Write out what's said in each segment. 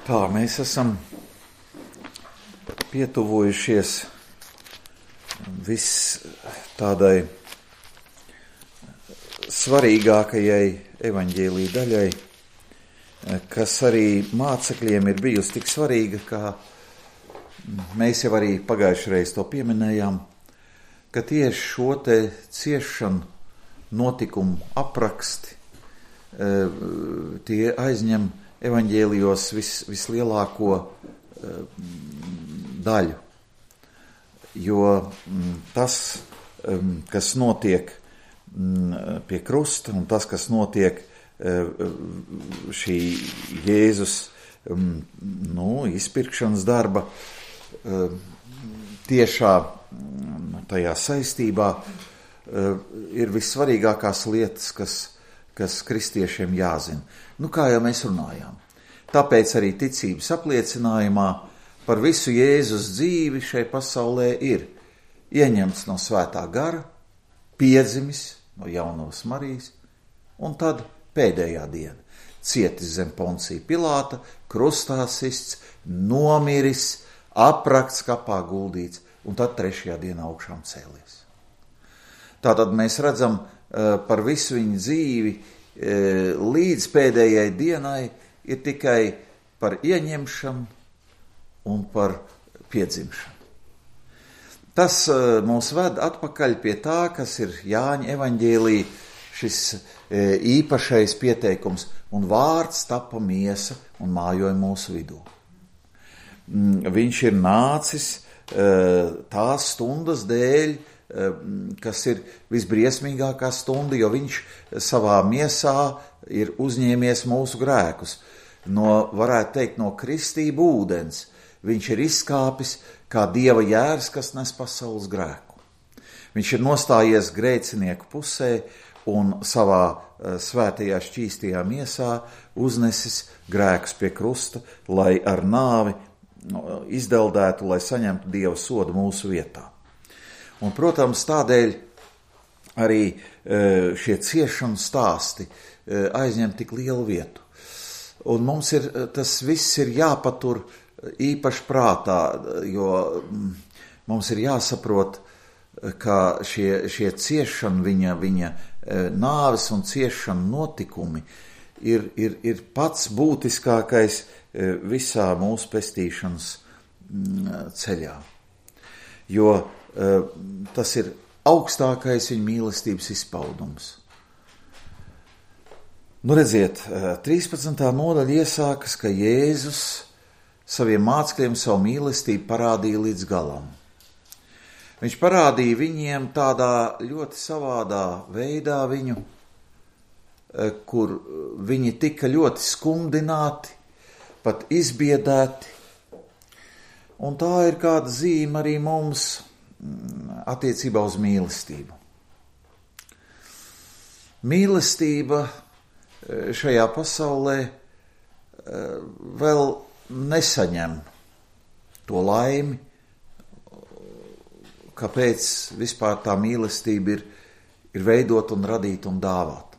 Tā, mēs esam pietuvojušies tādai svarīgākajai evaņģēlija daļai, kas arī mācekļiem ir bijusi tik svarīga, kā mēs jau arī pagājušajā reizē to pieminējām, ka tieši šo te ciešanu notikumu apraksti tie aizņem evaņģēlijos vislielāko daļu, jo tas, kas notiek pie krusta un tas, kas notiek šī Jēzus izpirkšanas darba tiešā tajā saistībā, ir vissvarīgākās lietas, kas kristiešiem jāzina. Kā jau mēs runājām. Tāpēc arī ticības apliecinājumā par visu Jēzus dzīvi šai pasaulē ir ieņemts no svētā gara, piedzimis no jaunās Marijas, un tad pēdējā diena. Cietis zem Poncija Pilāta, krustā sists, nomiris, aprakts, kapā guldīts, un tad trešajā dienā augšām cēlies. Tātad mēs redzam par visu viņa dzīvi līdz pēdējai dienai ir tikai par ieņemšanu un par piedzimšanu. Tas mūs ved atpakaļ pie tā, kas ir Jāņa evaņģēlija šis īpašais pieteikums, un vārds tapa miesa un mājoja mūsu vidū. Viņš ir nācis tās stundas dēļ, kas ir visbriesmīgākā stunda, jo viņš savā miesā ir uzņēmies mūsu grēkus. Varētu teikt, no kristību ūdens. Viņš ir izkāpis kā Dieva jērs, kas nes pasaules grēku. Viņš ir nostājies grēcinieku pusē un savā svētajā šķīstajā miesā uznesis grēkus pie krusta, lai ar nāvi izdeldētu, lai saņemtu Dieva sodu mūsu vietā. Un, protams, tādēļ arī šie ciešanu stāsti aizņem tik lielu vietu. Un mums tas viss ir jāpatur īpaši prātā, jo mums ir jāsaprot, ka šie ciešanu, viņa nāves un ciešanu notikumi ir pats būtiskākais visā mūsu pestīšanas ceļā. Jo tas ir augstākais viņa mīlestības izpaudums. Redziet, 13. nodaļa iesākas, ka Jēzus saviem mācekļiem savu mīlestību parādīja līdz galam. Viņš parādīja viņiem tādā ļoti savādā veidā viņu, kur viņi tika ļoti skumdināti, pat izbiedēti. Un tā ir kāda zīme arī mums attiecībā uz mīlestību. Mīlestība šajā pasaulē vēl nesaņem to laimi, kāpēc vispār tā mīlestība ir veidot un radīt un dāvāt.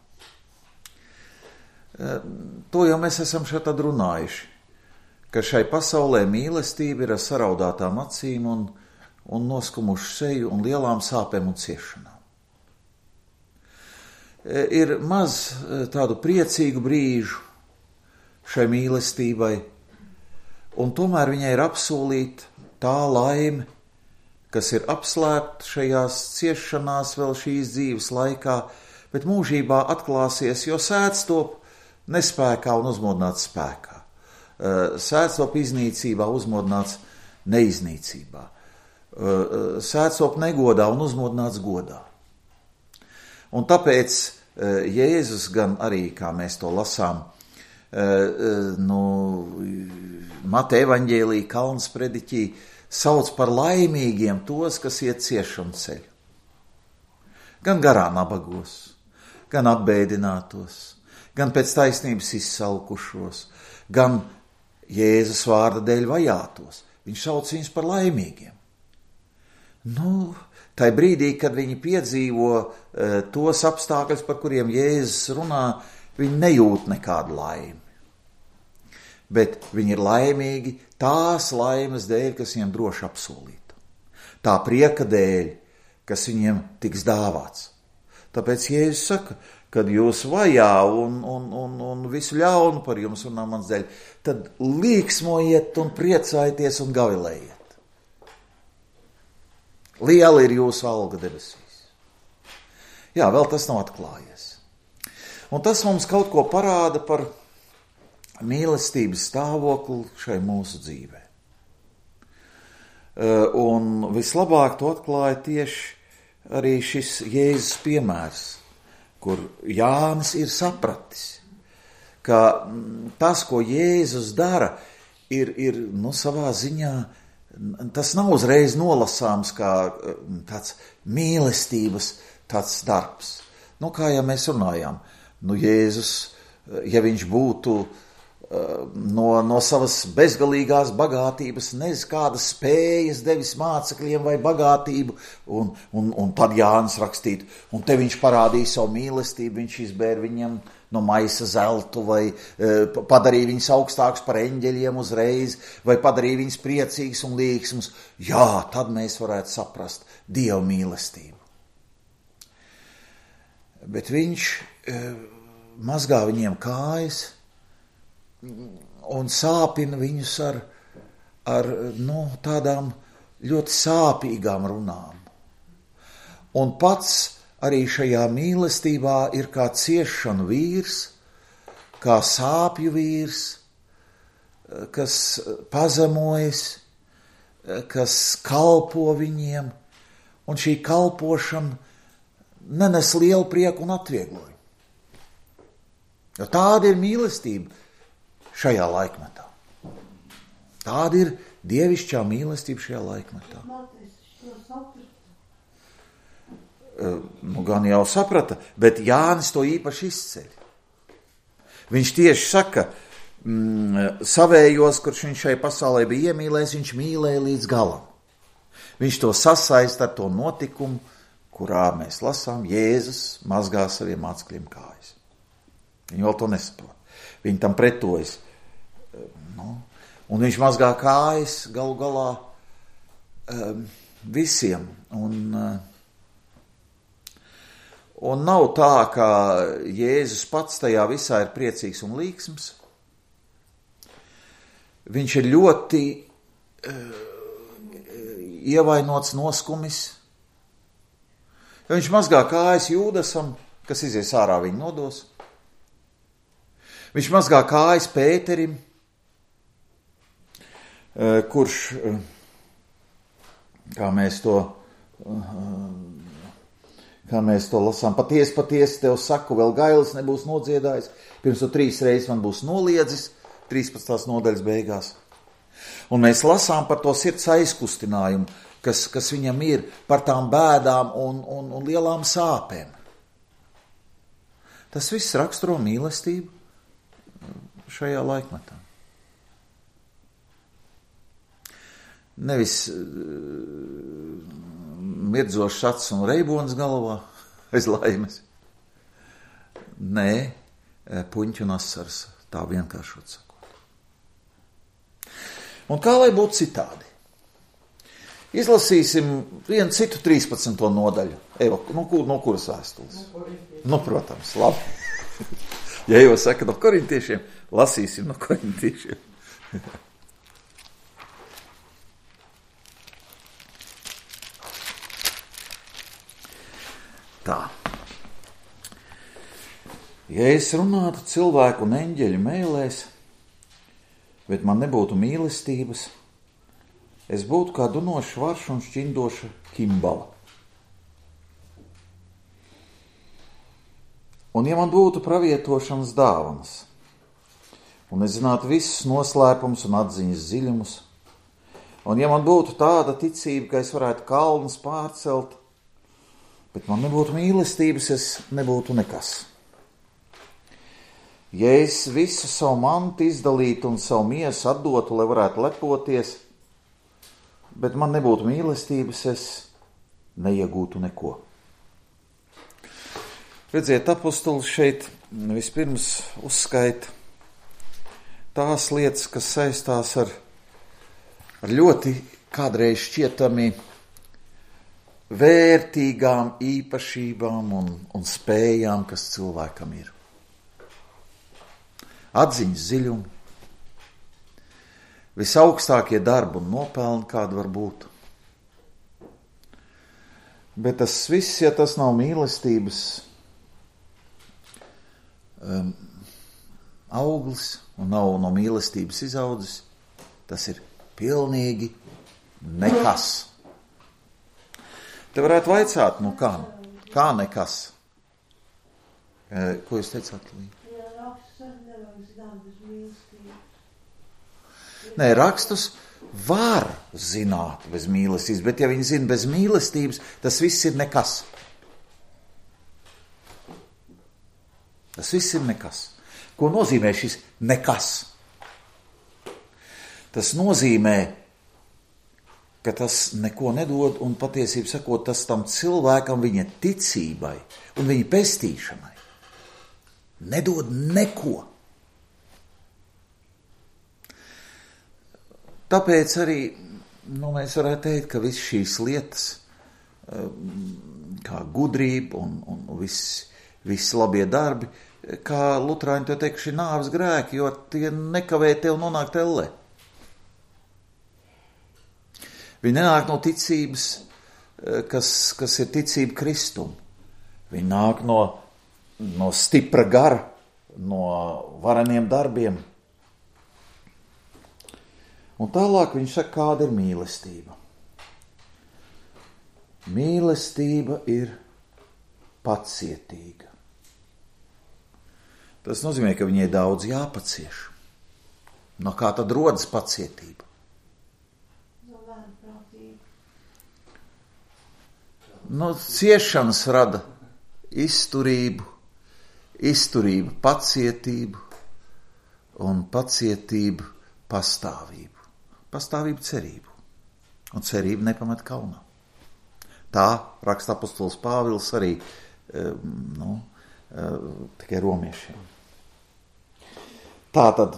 To jau mēs esam šeit tad runājuši, ka šai pasaulē mīlestība ir ar saraudātām acīm un noskumušu seju un lielām sāpēm un ciešanām. Ir maz tādu priecīgu brīžu šai mīlestībai, un tomēr viņai ir apsolīta tā laime, kas ir apslēpta šajās ciešanās vēl šīs dzīves laikā, bet mūžībā atklāsies, jo sēdz top nespēkā un uzmodināts spēkā. Sēdz top iznīcībā, uzmodināts neiznīcībā. Sēdz top negodā un uzmodināts godā. Un tāpēc Jēzus gan arī, kā mēs to lasām, Mateja evaņģēlija Kalnas prediķī, sauc par laimīgiem tos, kas iet ciešanu ceļu. Gan garā nabagos, gan apbēdinātos, gan pēc taisnības izsalkušos, gan Jēzus vārda dēļ vajātos. Viņš sauc viņus par laimīgiem. Tai brīdī, kad viņi piedzīvo tos apstākļus, par kuriem Jēzus runā, viņi nejūt nekādu laimi. bet viņi ir laimīgi tās laimes dēļ, kas viņiem droši apsolīta. Tā prieka dēļ, kas viņiem tiks dāvāts. Tāpēc Jēzus saka, kad jūs vajā un visu ļaunu par jums runā mans dēļ, tad līksmojiet un priecājieties un gavilējiet. Liela ir jūsu alga debesīs. Jā, vēl tas nav atklājies. Un tas mums kaut ko parāda par mīlestības stāvokli šai mūsu dzīvē. Un vislabāk to atklāja tieši arī šis Jēzus piemērs, kur Jānis ir sapratis, ka tas, ko Jēzus dara, ir savā ziņā, tas nav uzreiz nolasāms kā tāds mīlestības tāds darbs. Kā jau mēs runājām, Jēzus, ja viņš būtu no savas bezgalīgās bagātības, nezinu, kādas spējas devis mācekļiem vai bagātību, un tad Jānis rakstītu, un te viņš parādīja savu mīlestību, viņš izbēra viņam no maisa zeltu, vai padarīja viņus augstākus par eņģeļiem uzreiz, vai padarīja viņus priecīgus un līksmus. Jā, tad mēs varētu saprast Dieva mīlestību. Bet viņš mazgā viņiem kājas un sāpina viņus ar tādām ļoti sāpīgām runām. Un pats arī šajā mīlestībā ir kā ciešanu vīrs, kā sāpju vīrs, kas pazemojas, kas kalpo viņiem, un šī kalpošana nenes lielu prieku un atvieglojumu. Jo tāda ir mīlestība šajā laikmetā. Tāda ir dievišķā mīlestība šajā laikmetā. Gan jau saprata, bet Jānis to īpaši izceļ. Viņš tieši saka, savējos, kurš viņš šai pasaulē bija iemīlējis, viņš mīlēja līdz galam. Viņš to sasaista ar to notikumu, kurā mēs lasām, Jēzus mazgā saviem mācekļiem kājas. Viņi vēl to nesaprot. Viņi tam pretojas. Un viņš mazgā kājas galu galā visiem. Un nav tā, ka Jēzus pats tajā visā ir priecīgs un līksms. Viņš ir ļoti ievainots, noskumis. Ja viņš mazgā kājas Jūdasam, kas izies ārā viņa nodos. Viņš mazgā kājas Pēterim, kurš, kā mēs to lasām, patiesi tev saku, vēl gailis nebūs nodziedājis, pirms tu 3 reizes man būs noliedzis, 13. nodaļas beigās. Un mēs lasām par to sirds aizkustinājumu, kas viņam ir, par tām bēdām un lielām sāpēm. Tas viss raksturo mīlestību šajā laikmetā. Nevis mirdzošs acis un reibonis galvā aiz laimes. Nē, puņķi un asaras, tā vienkāršot sakot. Un kā lai būtu citādi? Izlasīsim vienu citu 13. nodaļu. Eva, no kuras vēstules? Protams, labi. Ja jau saka no korintiešiem, lasīsim no korintiešiem. Tā. Ja es runātu cilvēku un eņģeļu mēlēs, bet man nebūtu mīlestības, es būtu kā dunošs varš un šķindoša kimbala. Un ja man būtu pravietošanas dāvanas, un es zinātu visus noslēpumus un atziņas dziļumus, un ja man būtu tāda ticība, ka es varētu kalnus pārcelt, bet man nebūtu mīlestības, es nebūtu nekas. Ja es visu savu mantu izdalītu un savu miesu atdotu, lai varētu lepoties, bet man nebūtu mīlestības, es neiegūtu neko. Redziet, apostols šeit vispirms uzskaita tās lietas, kas saistās ar ļoti kādreiz šķietami vērtīgām īpašībām un spējām, kas cilvēkam ir. Atziņas dziļumi, visaugstākie darbi un nopelni, kāda var būt. Bet tas viss, ja tas nav mīlestības auglis un nav no mīlestības izaudzis, tas ir pilnīgi nekas. Te varētu vaicāt, nu kā nekas? Ko jūs teicāt, Līja? Nē, rakstus var zināt bez mīlestības, bet ja viņi zina bez mīlestības, tas viss ir nekas. Tas viss ir nekas. Ko nozīmē šis nekas? Tas nozīmē, ka tas neko nedod un patiesību sakot, tas tam cilvēkam viņa ticībai un viņa pestīšanai nedod neko. Tāpēc arī mēs varētu teikt, ka viss šīs lietas, kā gudrība un viss labie darbi, kā luterāņi to teikuši, nāves grēki, jo tie nekavē tev nonākt ellē. Viņi nenāk no ticības, kas ir ticība Kristum. Viņi nāk no stipra gara, no vareniem darbiem. Un tālāk viņš saka, kāda ir mīlestība. Mīlestība ir pacietīga. Tas nozīmē, ka viņai daudz jāpacieš. No kā tad rodas pacietība? Ciešanas rada izturību, pacietību un pacietību pastāvību. Pastāvību cerību. Un cerību nepamet kaunā. Tā raksta apostols Pāvils arī tikai romiešiem. Tātad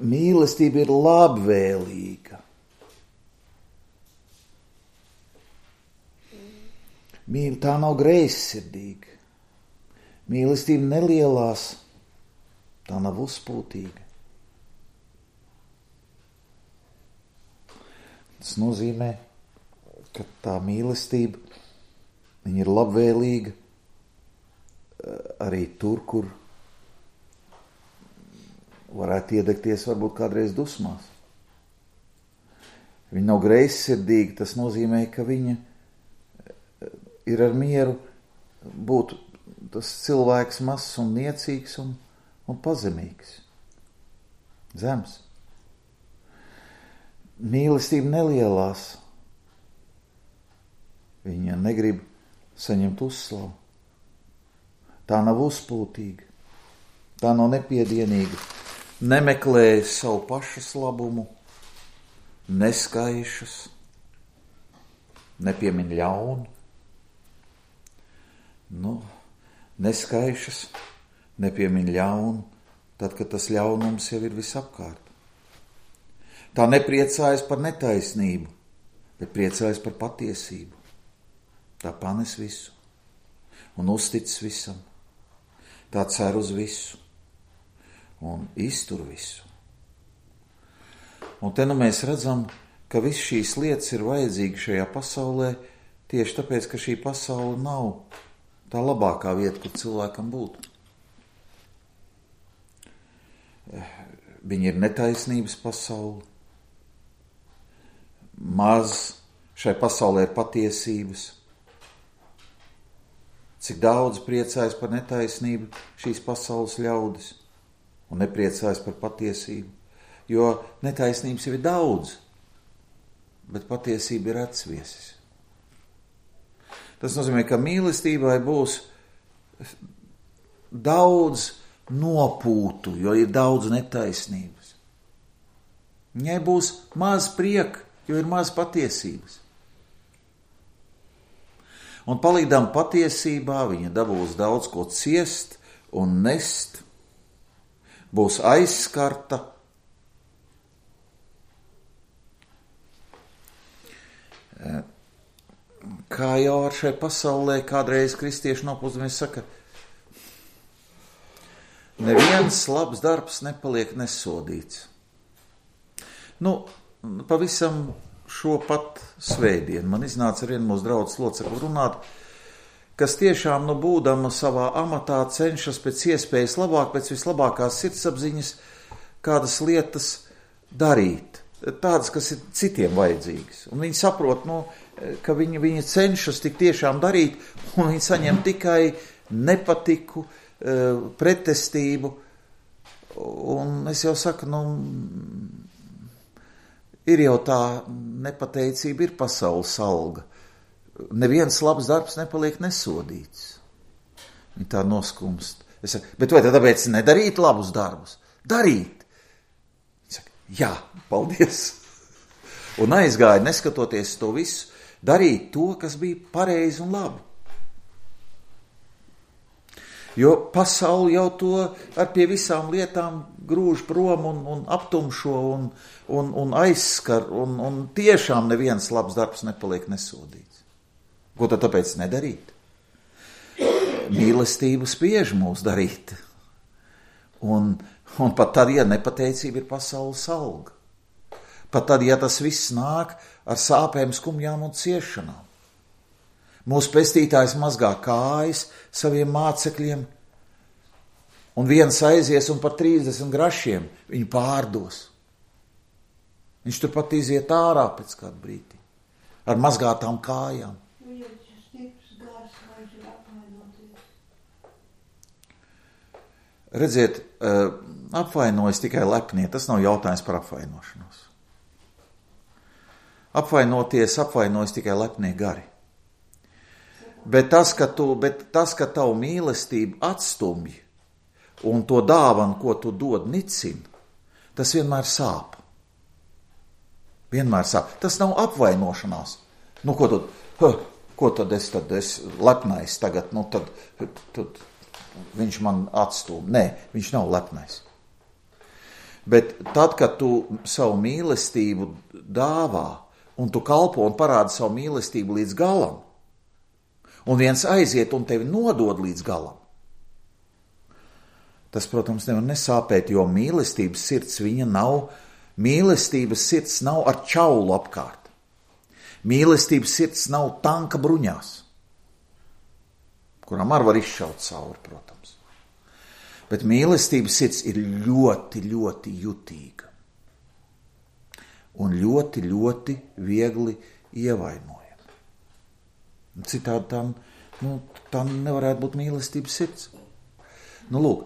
mīlestība ir labvēlīga. Tā nav greizsirdīga. Mīlestība nelielās, tā nav uzpūtīga. Tas nozīmē, ka tā mīlestība, viņa ir labvēlīga arī tur, kur varētu iedegties varbūt kādreiz dusmās. Viņa nav greizsirdīga, tas nozīmē, ka viņa ir ar mieru būt tas cilvēks mazs un niecīgs un pazemīgs. Zems. Mīlestība nelielās. Viņa negrib saņemt uzslavu. Tā nav uzpūtīga. Tā nav nepiedienīga. Nemeklē savu pašas labumu. Neskaišas. Nepiemin ļaunu. Neskaišas. Nepiemin ļaunu. Tad, kad tas ļaunums jau ir visapkārt. Tā nepriecājas par netaisnību, bet priecājas par patiesību. Tā panes visu un uztic visam. Tā cer uz visu un iztur visu. Un te mēs redzam, ka viss šīs lietas ir vajadzīgas šajā pasaulē tieši tāpēc, ka šī pasaule nav tā labākā vieta, kur cilvēkam būtu. Viņa ir netaisnības pasaule. Maz šai pasaulē ir patiesības. Cik daudz priecājas par netaisnību šīs pasaules ļaudis un nepriecājas par patiesību. Jo netaisnības jau ir daudz, bet patiesība ir atsviesis. Tas nozīmē, ka mīlestībai būs daudz nopūtu, jo ir daudz netaisnības. Viņai būs maz prieka, jo ir maz patiesības. Un palīdām patiesībā viņa dabūs daudz ko ciest un nest būs aizskarta. Kā jau ar šai pasaulē kādreiz kristieši nopūzamies saka, neviens labs darbs nepaliek nesodīts. Pavisam šo pat svētdienu man iznāca ar vienu mūsu draudzes locekli runāt, kas tiešām, būdama savā amatā, cenšas pēc iespējas labāk, pēc vislabākās sirdsapziņas kādas lietas darīt. Tādas, kas ir citiem vajadzīgas. Un viņi saprot, ka viņi cenšas tik tiešām darīt, un viņi saņem tikai nepatiku, pretestību. Un es jau saku, ir jau tā nepateicība, ir pasaules alga. Neviens labs darbs nepaliek nesodīts. Viņi tā noskumst. Es saku, bet vai tad tāpēc nedarīt labus darbus? Darīt! Viņi saka, jā, paldies! Un aizgāja, neskatoties to visu, darīt to, kas bija pareizi un labi. Jo pasauli jau to ar pie visām lietām grūž prom un aptumšo un aizskar, un tiešām neviens labs darbs nepaliek nesodīts. Ko tad tāpēc nedarīt? Mīlestība spiež mūs darīt. Un pat tad, ja nepateicība ir pasaules alga. Pat tad, ja tas viss nāk ar sāpēm, skumjām un ciešanām. Mūsu pestītājs mazgā kājas saviem mācekļiem, un viens aizies un par 30 grašiem viņu pārdos. Viņš turpat iziet ārā pēc kādu brīdi, ar mazgātām kājām. Redziet, apvainojas tikai lepnie, tas nav jautājums par apvainošanos. Apvainojas tikai lepnie gari. Bet tas, ka tavu mīlestību atstumj un to dāvanu, ko tu dod, nicina, tas vienmēr sāp. Vienmēr sāp. Tas nav apvainošanās. Ko tad es lepnais tagad, tad viņš man atstūm. Nē, viņš nav lepnais. Bet tad, kad tu savu mīlestību dāvā un tu kalpo un parādi savu mīlestību līdz galam, un viens aiziet un tevi nodod līdz galam, tas, protams, nevar nesāpēt, jo mīlestības sirds nav ar čaulu apkārt. Mīlestības sirds nav tanka bruņās, kurām var izšaut cauri, protams. Bet mīlestības sirds ir ļoti, ļoti jutīga un ļoti, ļoti viegli ievainojama. Citādi tam nevarētu būt mīlestības sirds. Lūk,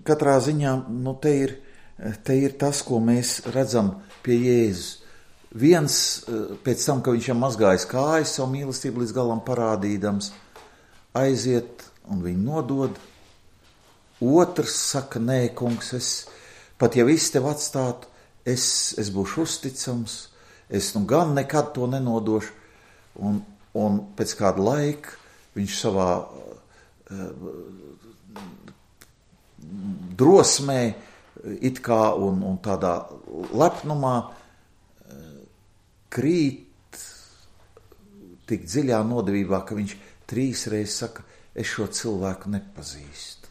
katrā ziņā te ir tas, ko mēs redzam pie Jēzus. Viens pēc tam, ka viņš jau mazgājis kājas savu mīlestību līdz galam parādīdams, aiziet un viņu nodod. Otrs saka, nē, kungs, pat ja viss tev atstātu, es būšu uzticams, es gan nekad to nenodošu. Un pēc kāda laika viņš savā drosmē, it kā un tādā lepnumā krīt tik dziļā nodevībā, ka viņš 3 reizes saka, es šo cilvēku nepazīstu.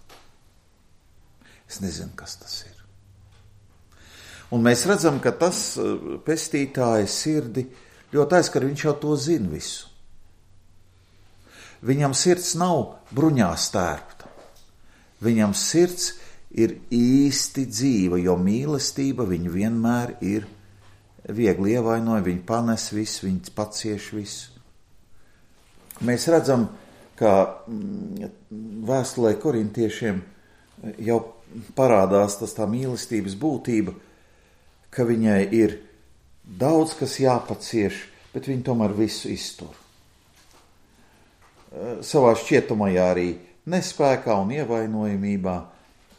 Es nezinu, kas tas ir. Un mēs redzam, ka tas pestītāja sirdi ļoti aizskar, viņš jau to zina visu. Viņam sirds nav bruņās tērpta. Viņam sirds ir īsti dzīva, jo mīlestība viņu vienmēr ir viegli ievainoja, viņa panes visu, viņa pacieš visu. Mēs redzam, ka vēstulē korintiešiem jau parādās tā mīlestības būtība, ka viņai ir daudz, kas jāpacieš, bet viņa tomēr visu iztur. Savā šķietamajā arī nespēkā un ievainojamībā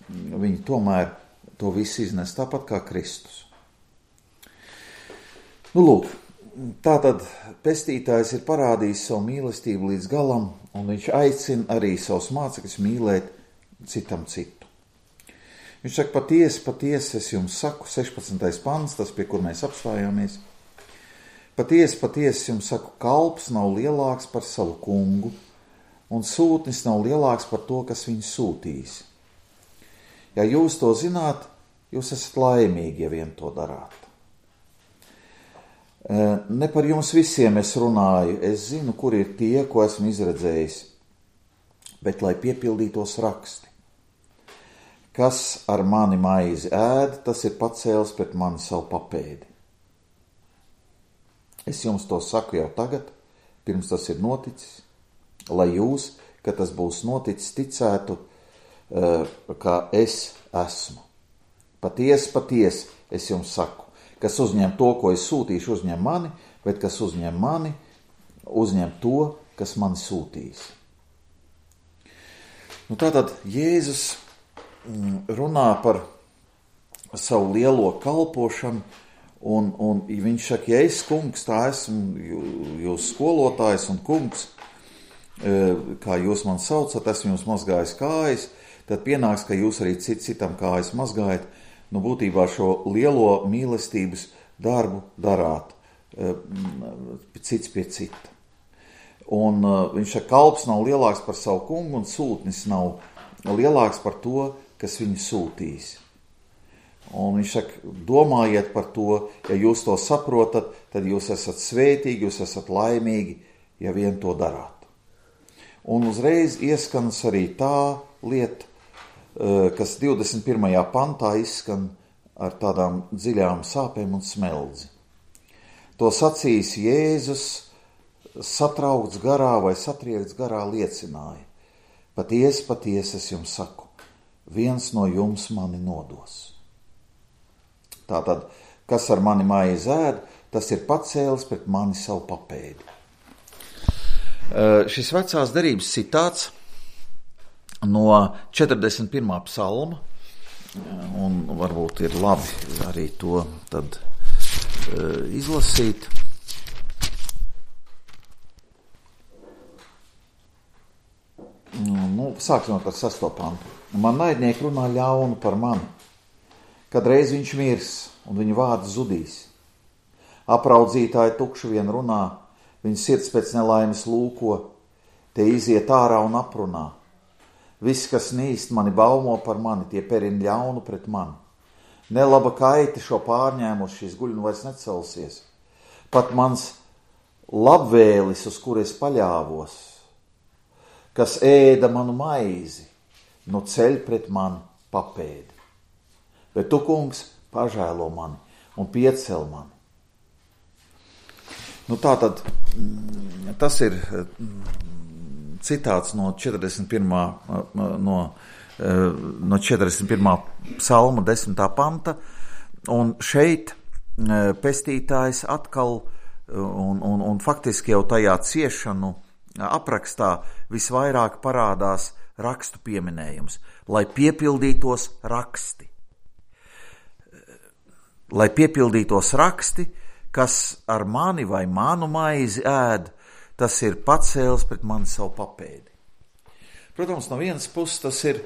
viņa tomēr to visu iznes, tāpat kā Kristus. Lūk, tātad pestītājs ir parādījis savu mīlestību līdz galam, un viņš aicina arī savus mācekļus mīlēt citam citu. Viņš saka, patiesi, es jums saku, 16. pants, tas, pie kur mēs apstājāmies. Patiesi jums saku, kalps nav lielāks par savu kungu, un sūtnis nav lielāks par to, kas viņu sūtīs. Ja jūs to zināt, jūs esat laimīgi, ja vien to darāt. Ne par jums visiem es runāju, es zinu, kur ir tie, ko esmu izredzējis, bet lai piepildītos raksti. Kas ar mani maizi ēd, tas ir pacēlis pret mani savu papēdi. Es jums to saku jau tagad, pirms tas ir noticis, lai jūs, kad tas būs noticis, ticētu, ka es esmu. Patiesi, es jums saku, kas uzņem to, ko es sūtīšu, uzņem mani, bet kas uzņem mani, uzņem to, kas mani sūtīs. Tātad Jēzus runā par savu lielo kalpošanu, un viņš saka, ja es, kungs, tā esmu jūs skolotājs un kungs, kā jūs man saucat, esmu jums mazgājis kājas, tad pienāks, ka jūs arī citam kājas mazgājat, būtībā šo lielo mīlestības darbu darāt, cits pie cita. Un viņš saka, kalps nav lielāks par savu kungu, un sūtnis nav lielāks par to, kas viņu sūtīs. Un viņš saka, domājiet par to, ja jūs to saprotat, tad jūs esat svētīgi, jūs esat laimīgi, ja vien to darāt. Un uzreiz ieskanas arī tā lieta, kas 21. pantā izskan ar tādām dziļām sāpēm un smeldzi. To sacījis Jēzus, satraukts garā vai satriekts garā liecināja. Patiesi, es jums saku, viens no jums mani nodos. Tātad, kas ar mani maizi ēd, tas ir pacēlis pret mani savu papēdi. Šis vecās derības citāts no 41. psalma, un varbūt ir labi arī to tad izlasīt. Sāksim ar 6. pantu. Man naidnieki runā ļaunu par mani, kad reiz viņš mirs un viņa vārds zudīs. Apraudzītāji tukšu vien runā, viņa sirds pēc nelaimes lūko, tie iziet ārā un aprunā. Visi, kas nīst mani baumo par mani, tie perin ļaunu pret mani. Nelaba kaiti šo pārņēmus, šīs guļu vairs necelsies. Pat mans labvēlis, uz kur es paļāvos, kas ēda manu maizi, ceļ pret mani papēdi. Bet tu, kungs, pažēlo mani un piecel mani. Tātad tas ir citāts no 41. no 41. psalma 10. panta, un šeit pestītājs atkal un faktiski jau tajā ciešanu aprakstā visvairāk parādās rakstu pieminējums, lai piepildītos raksti. Lai piepildītos raksti, kas ar mani vai manu maizi ēd, tas ir pacēlis pret mani savu papēdi. Protams, no vienas puses tas ir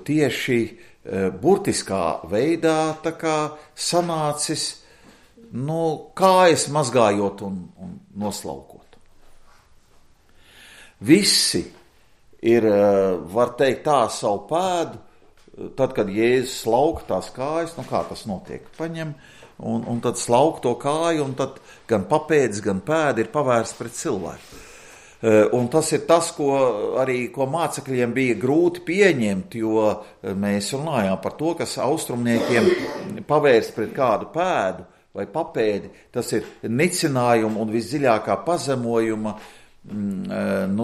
tieši burtiskā veidā tā kā sanācis, kājas mazgājot un noslaukot. Visi ir, var teikt, tā savu pēdu, tad, kad Jēzus slauka tās kājas, kā tas notiek, paņem un tad slauk to kāju, un tad gan papēdis, gan pēdi ir pavērsts pret cilvēku. Un tas ir tas, ko mācekļiem bija grūti pieņemt, jo mēs runājām par to, kas austrumniekiem pavērst pret kādu pēdu vai papēdi, tas ir nicinājuma un visdziļākā pazemojuma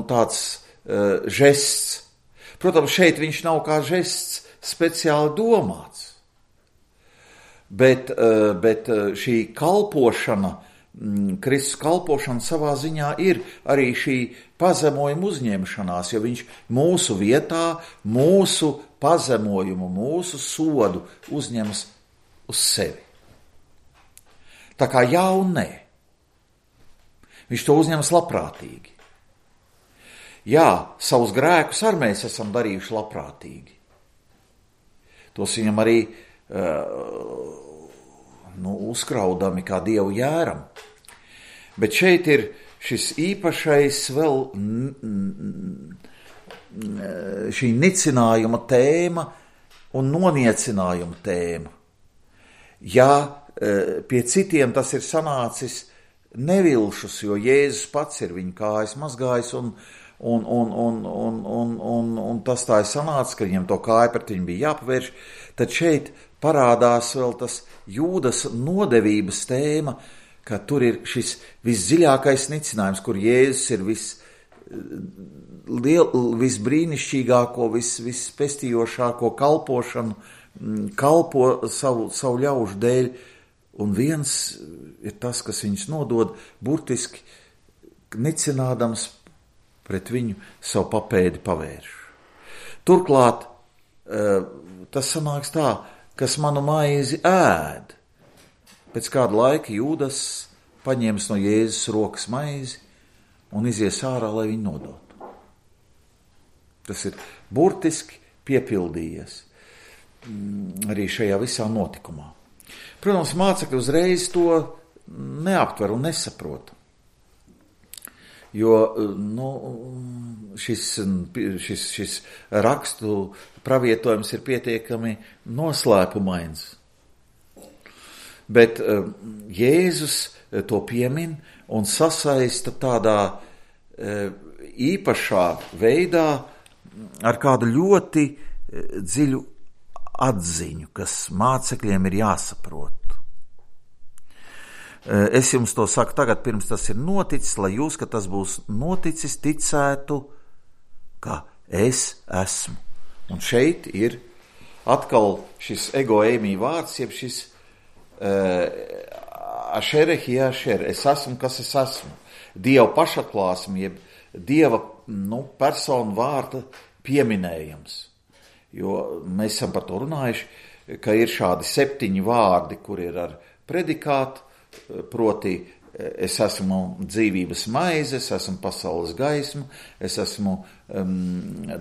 tāds žests. Protams, šeit viņš nav kā žests speciāli domāts, bet šī kalpošana, Kristus kalpošana savā ziņā ir arī šī pazemojuma uzņemšanās, jo viņš mūsu vietā, mūsu pazemojumu, mūsu sodu uzņemas uz sevi. Tā kā jā un nē. Viņš to uzņemas labprātīgi. Jā, savus grēkus arī mēs esam darījuši labprātīgi. tos viņam arī uzkraudami kā Dievu jēram. Bet šeit ir šis īpašais vēl šī nicinājuma tēma un noniecinājuma tēma. Ja pie citiem tas ir sanācis nevilšus, jo Jēzus pats ir viņu kājas mazgājis un tas tā ir sanācis, ka viņam to kāju pret viņu bija jāpavērš, tad šeit parādās vēl tas Jūdas nodevības tēma, ka tur ir šis visdziļākais nicinājums, kur Jēzus ir visbrīnišķīgāko, vispestījošāko kalpošanu, kalpo savu ļaužu dēļ, un viens ir tas, kas viņus nodod, burtiski nicinādams pret viņu savu papēdi pavērš. Turklāt tas sanāks tā, kas manu maizi ēd. Pēc kāda laika Jūdas paņems no Jēzus rokas maizi un izies ārā, lai viņu nodotu. Tas ir burtiski piepildījies arī šajā visā notikumā. Protams, mācekļi uzreiz to neaptver un nesaprot. Jo šis rakstu pravietojums ir pietiekami noslēpumains. Bet Jēzus to piemin un sasaista tādā īpašā veidā ar kādu ļoti dziļu atziņu, kas mācekļiem ir jāsaprot. Es jums to saku tagad, pirms tas ir noticis, lai jūs, ka tas būs noticis, ticētu, ka es esmu. Un šeit ir atkal šis egoēmī vārds, jeb šis ašerehi ašer, es esmu, kas es esmu. Dieva pašatklāsme, jeb Dieva personu vārda pieminējums. Jo mēs esam par to runājuši, ka ir šādi 7 vārdi, kur ir ar predikātu, proti es esmu dzīvības maize, es esmu pasaules gaisma, es esmu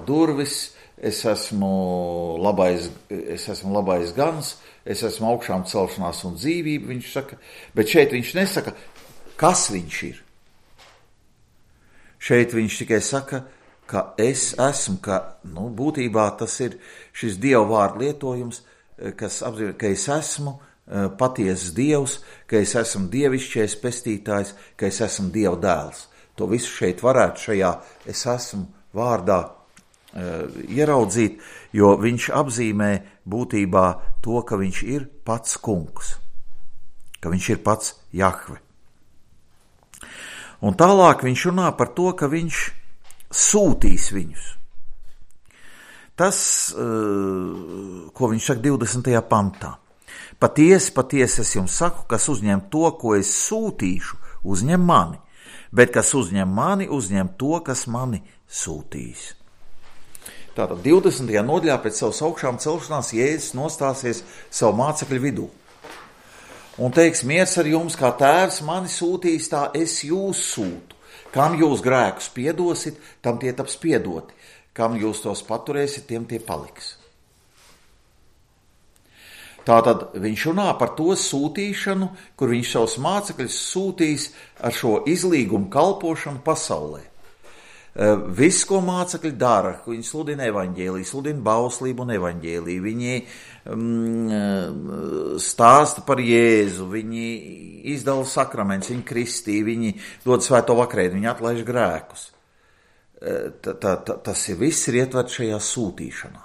durvis, es esmu labais gans, es esmu augšām celšanās un dzīvība, viņš saka, bet šeit viņš nesaka, kas viņš ir. Šeit viņš tikai saka, ka es esmu, ka būtībā tas ir šis Dieva vārdu lietojums, kas apzīmē, ka es esmu patiesas Dievs, ka es esmu dievišķais pestītājs, ka es esmu Dieva dēls. To visu šeit varētu šajā es esmu vārdā ieraudzīt, jo viņš apzīmē būtībā to, ka viņš ir pats kungs, ka viņš ir pats Jahve. Un tālāk viņš runā par to, ka viņš sūtīs viņus. Tas, ko viņš saka 20. pantā. Patiesi, patiesi es jums saku, kas uzņem to, ko es sūtīšu, uzņem mani, bet kas uzņem mani, uzņem to, kas mani sūtīs. Tātad 20. nodaļā pēc savas augšām celšanās Jēzus nostāsies savu mācekļu vidū. Un teiks, miers ar jums, kā tēvs mani sūtīs, tā es jūs sūtu. Kam jūs grēkus piedosit, tam tie taps piedoti. Kam jūs tos paturēsit, tiem tie paliks. Tātad viņš runā par to sūtīšanu, kur viņš savus mācekļus sūtīs ar šo izlīgumu kalpošanu pasaulē. Viss, ko mācekļi dara, viņi sludina evaņģēliju, sludina bauslību un evaņģēliju, viņi stāsta par Jēzu, viņi izdala sakramentus, viņi kristī, viņi dod svēto vakarēdienu, viņi atlaiž grēkus. Tas viss ir ietverts šajā sūtīšanā.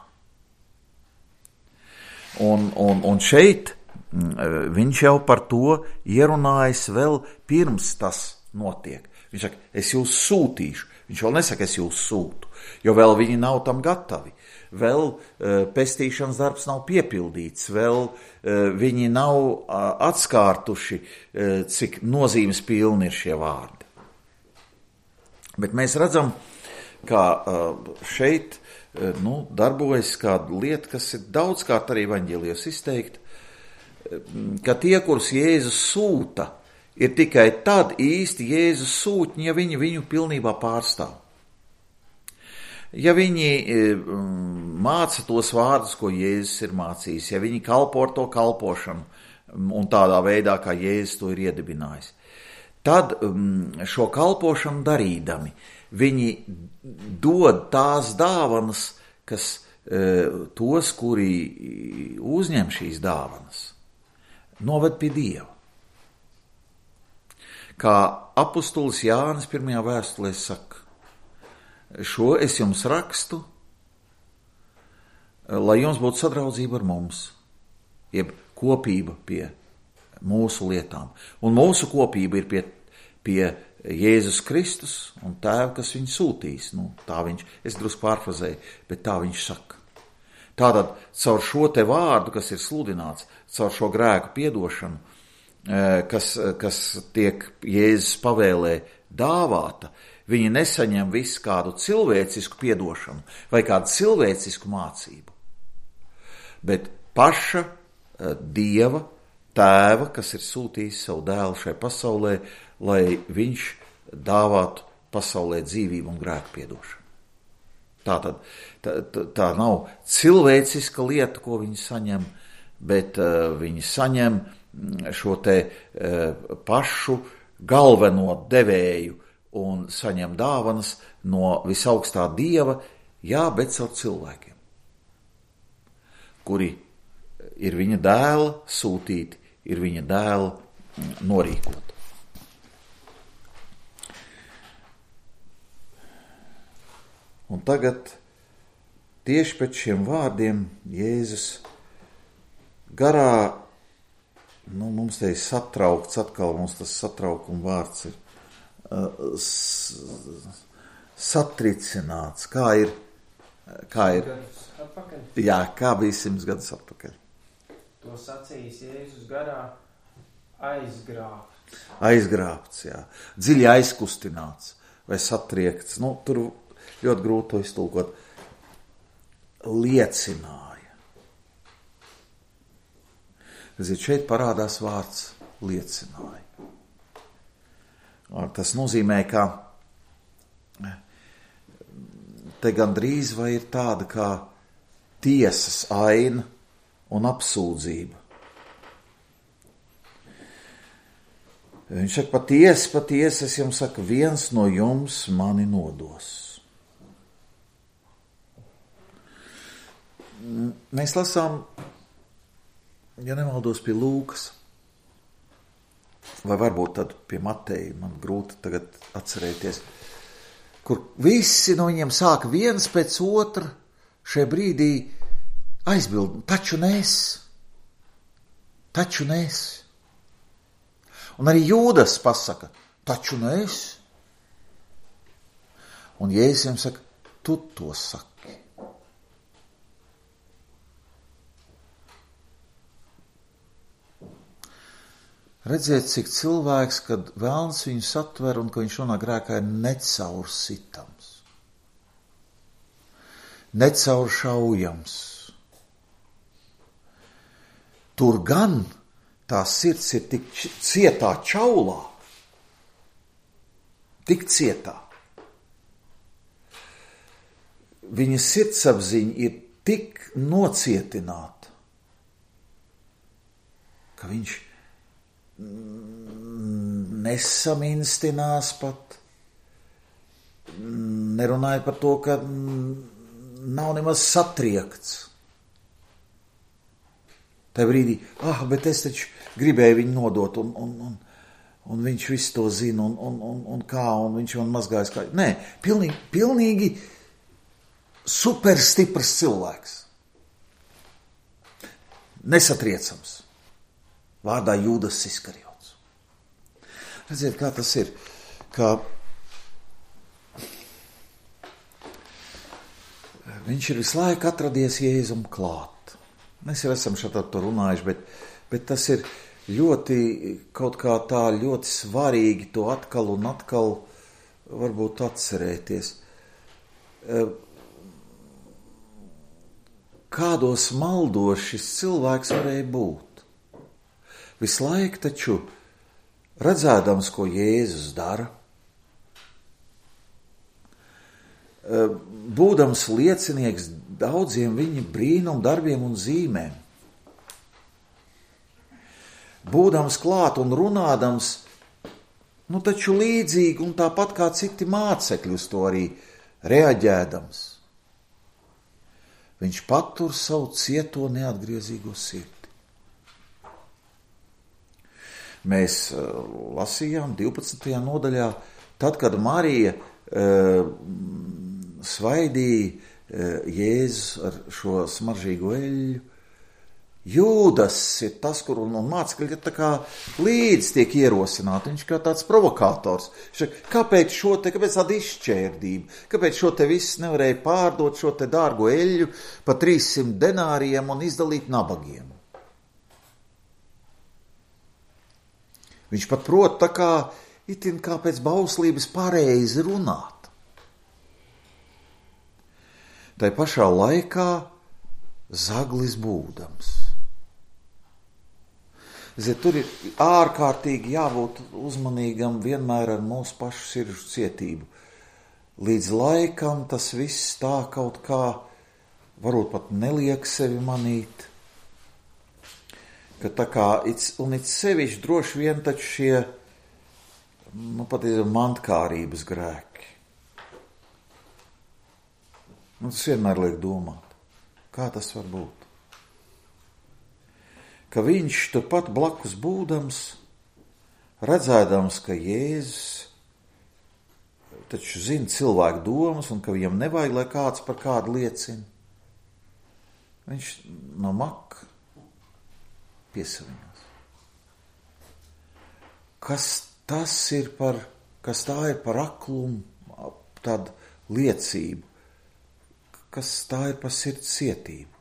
Un šeit viņš jau par to ierunājas vēl pirms tas notiek. Viņš saka, es jūs sūtīšu. Viņš vēl nesaka, es jūs sūtu, jo vēl viņi nav tam gatavi. Vēl pestīšanas darbs nav piepildīts, vēl viņi nav atskārtuši, cik nozīmes pilni ir šie vārdi. Bet mēs redzam, ka šeit darbojas kāda lieta, kas ir daudzkārt arī evaņģēlijos izteikta, ka tie, kurus Jēzus sūta, ir tikai tad īsti Jēzus sūtņi, ja viņi viņu pilnībā pārstāv. Ja viņi māca tos vārdus, ko Jēzus ir mācījis, ja viņi kalpo ar to kalpošanu un tādā veidā, kā Jēzus to ir iedibinājis, tad šo kalpošanu darīdami viņi dod tās dāvanas, kas tos, kuri uzņem šīs dāvanas, noved pie Dieva. Kā apustulis Jānis 1. vēstulē saka, šo es jums rakstu, lai jums būtu sadraudzība ar mums, jeb kopība pie mūsu lietām. Un mūsu kopība ir pie Jēzus Kristus un Tēva, kas viņu sūtīs. Tā viņš, es drusku pārfrazēju, bet tā viņš saka. Tātad caur šo te vārdu, kas ir sludināts, caur šo grēku piedošanu, kas tiek Jēzus pavēlē dāvāta, viņi nesaņem visu kādu cilvēcisku piedošanu vai kādu cilvēcisku mācību, bet paša Dieva, Tēva, kas ir sūtījis savu dēlu šai pasaulē, lai viņš dāvātu pasaulē dzīvību un grēku piedošanu. Tātad tā nav cilvēciska lieta, ko viņi saņem, bet viņi saņem šo te pašu galveno devēju un saņem dāvanas no visaugstā Dieva, jā, bet caur cilvēkiem, kuri ir viņa dēla sūtīti, ir viņa dēla norīkoti. Un tagad tieši pēc šiem vārdiem Jēzus garā, mums te ir satraukts, atkal mums tas satraukuma vārds ir satricināts, kā ir, jā, kā bija 100 gadus atpakaļ. To sacījis Jēzus garā aizgrābts. Aizgrābts, jā, dziļi aizkustināts vai satriekts, tur ļoti grūti to iztulkot, liecināja. Šeit parādās vārds liecināja. Tas nozīmē, ka te gandrīz vai ir tāda kā tiesas aina un apsūdzība. Viņš saka, patiesi, es jums saku, viens no jums mani nodos. Mēs lasām, ja nemaldos, pie Lūkas, vai varbūt tad pie Mateja, man grūti tagad atcerēties, kur visi no viņiem sāka viens pēc otra šajā brīdī aizbild, taču nes. Un arī Jūdas pasaka, taču nes. Un Jēzus viņam saka, tu to saki. Redziet, cik cilvēks, kad velns viņu satver un ka viņš nonāk grēkā, ir necaursitams, necauršaujams. Tur gan tā sirds ir tik cietā čaulā, tik cietā. Viņa sirdsapziņa ir tik nocietināta, ka viņš nesaminstinās pat, nerunājot par to, ka nav nemaz satriekts. Tā brīdī, bet es taču gribēju viņu nodot, un viņš visu to zina, un kā, un viņš man mazgājas kā. Nē, pilnīgi superstiprs cilvēks. Nesatriecams. Vārdā Jūdas Iskariots. Redziet, kā tas ir, ka viņš ir visu laiku atradies Jēzum klāt. Mēs jau esam šādā to runājuši, bet tas ir ļoti kaut kā tā ļoti svarīgi to atkal un atkal varbūt atcerēties. Kādos maldos šis cilvēks varēja būt? Visu laiku taču redzēdams, ko Jēzus dara, būdams liecinieks daudziem viņa brīnumu darbiem un zīmēm. Būdams klāt un runādams, taču līdzīgi un tāpat kā citi mācekļi uz to arī reaģēdams. Viņš patur savu cieto neatgriezīgo sirdi. Mēs lasījām 12. nodaļā, tad, kad Marija svaidīja Jēzus ar šo smaržīgo eļļu, Jūdas ir tas, kur un mācekļi tā kā līdz tiek ierosināti. Viņš kā tāds provokators. Kāpēc tāda izšķērdība? Kāpēc šo te viss nevarēja pārdot šo te dārgo eļļu pa 300 denāriem un izdalīt nabagiem? Viņš pat prot tā kā itin kā pēc bauslības pareizi runāt. Tai pašā laikā zaglis būdams. Tur ir ārkārtīgi jābūt uzmanīgam vienmēr ar mūsu pašu sirdžu cietību. Līdz laikam tas viss tā kaut kā, varbūt pat neliek sevi manīt, ka tā kā, un it sevišķi droši vien taču šie, pat ir mantkārības grēki. Tas vienmēr liek domāt, kā tas var būt. Ka viņš turpat blakus būdams, redzēdams, ka Jēzus taču zina cilvēku domas un ka viņam nevajag, lai kāds par kādu liecina, viņš no maka piesavinās. Kas tā ir par aklumu, tādu liecību, kas tā ir par sirds cietību.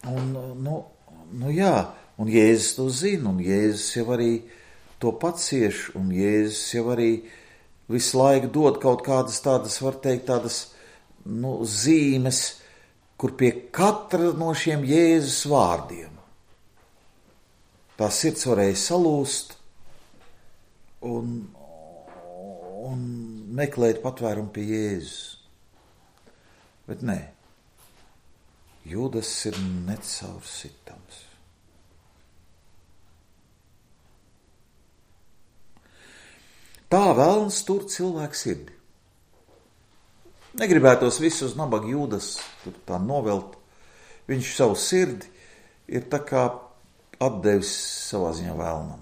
Un Jēzus to zina, un Jēzus jau arī to pacieš, un Jēzus jau arī visu laiku dod kaut kādas tādas, var teikt, tādas zīmes, kur pie katra no šiem Jēzus vārdiem tā sirds varēja salūst un meklēt patvērumu pie Jēzus. Bet nē. Jūdas ir necaursitams. Tā velns tur cilvēku sirdi. Negribētos visus nabaga Jūdas tur tā novelt. Viņš savu sirdi ir tā kā atdevis savā ziņā vēlnam.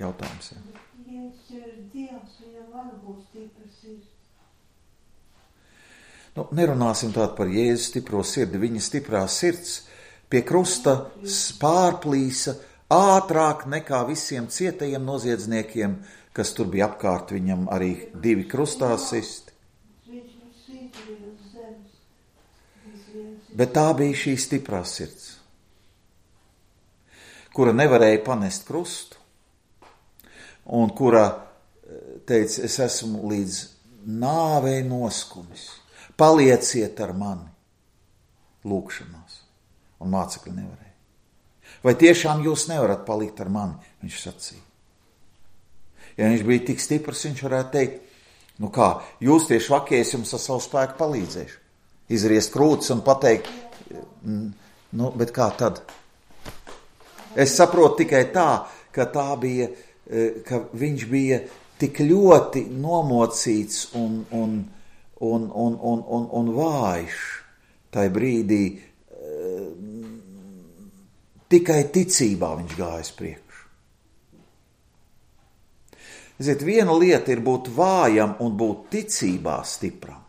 Jautājums, ja? Viņš ir Dievs, viņam var būt stipra sirds. Nerunāsim tādu par Jēzus stipro sirdi. Viņa stiprā sirds pie krusta pārplīsa ātrāk nekā visiem cietajiem noziedzniekiem, kas tur bija apkārt, viņam arī 2 krustā sisti. Bet tā bija šī stiprā sirds, kura nevarēja panest krustu un kura teica, es esmu līdz nāvei noskumis. Palieciet ar mani lūkšanās. Un mācekļi nevarēja. Vai tiešām jūs nevarat palikt ar mani? Viņš sacīja. Ja viņš bija tik stiprs, viņš varētu teikt, jūs tie švakie, es jums ar savu spēku palīdzēšu. Izriest krūtis un pateikt, bet kā tad? Es saprotu tikai tā, ka viņš bija tik ļoti nomocīts un vājš tai brīdī, tikai ticībā viņš gājas priekšu. Viena lieta ir būt vājam un būt ticībā stipram.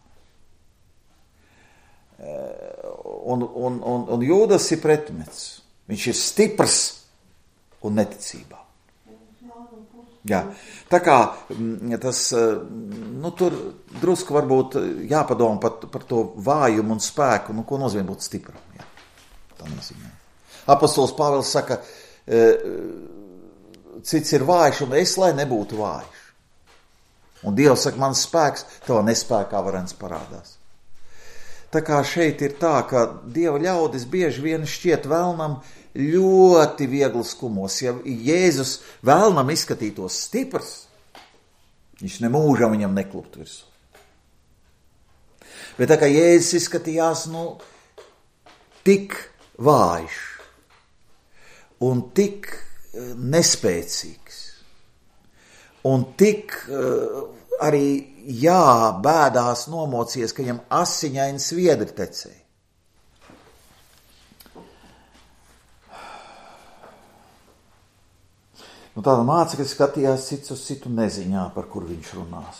Un Jūdas ir pretmets. Viņš ir stiprs un neticībā. Jā, tā kā tas, tur drusku varbūt jāpadomā par to vājumu un spēku, ko nozīmē būt stipram. Jā, tā nozīmē. Apostols Pāvils saka, cits ir vājš un es, lai nebūtu vājš. Un Dievs saka, mans spēks, tavā nespēkā varens parādās. Tā kā šeit ir tā, ka Dieva ļaudis bieži vien šķiet vēlnam ļoti viegli skumos. Ja Jēzus vēlnam izskatītos stiprs, Viņš nemūžam viņam neklupt virsū. Bet tā kā Jēzus izskatījās, tik vājš un tik nespēcīgs un tik arī bēdās nomocies, ka viņam asiņaini sviedri tecēja. Tāda mācekļi skatījās cits uz citu neziņā, par kuru viņš runās.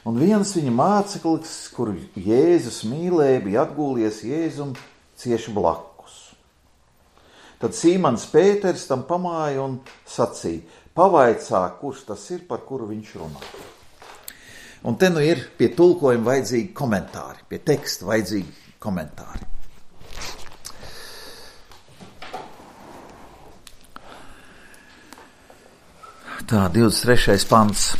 Un viens viņa māceklis, kuru Jēzus mīlēja, bija atgūlies Jēzum cieši blakus. Tad Sīmans Pēters tam pamāja un sacīja: pavaicā, kurš tas ir, par kuru viņš runā. Un te ir pie tulkojuma vajadzīgi komentāri, pie teksta vajadzīgi komentāri. Tā, 23. pants.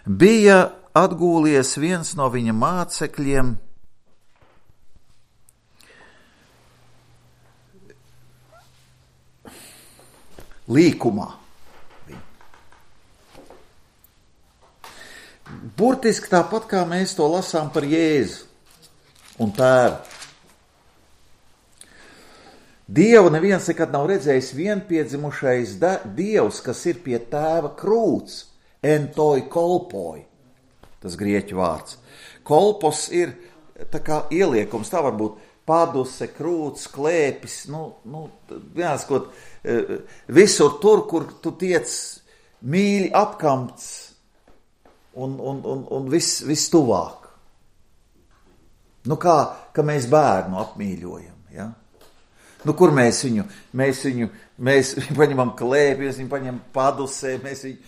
Bija atgūlies viens no viņa mācekļiem, līkumā. Burtiski tāpat kā mēs to lasām par Jēzu un Tēvu. Dievu neviens nekad nav redzējis vienpiedzimušais Dievs, kas ir pie Tēva krūts, entoi kolpoi, tas grieķu vārds. Kolpos ir tā kā ieliekums, tā var būt paduse, krūts, klēpis, vienāskot, visur tur, kur tu tiec mīļi apkamts un viss tuvāk. Kā mēs bērnu apmīļojam, ja? Kur mēs viņu paņemam klēpī, mēs viņu paņemam padusē, mēs viņu,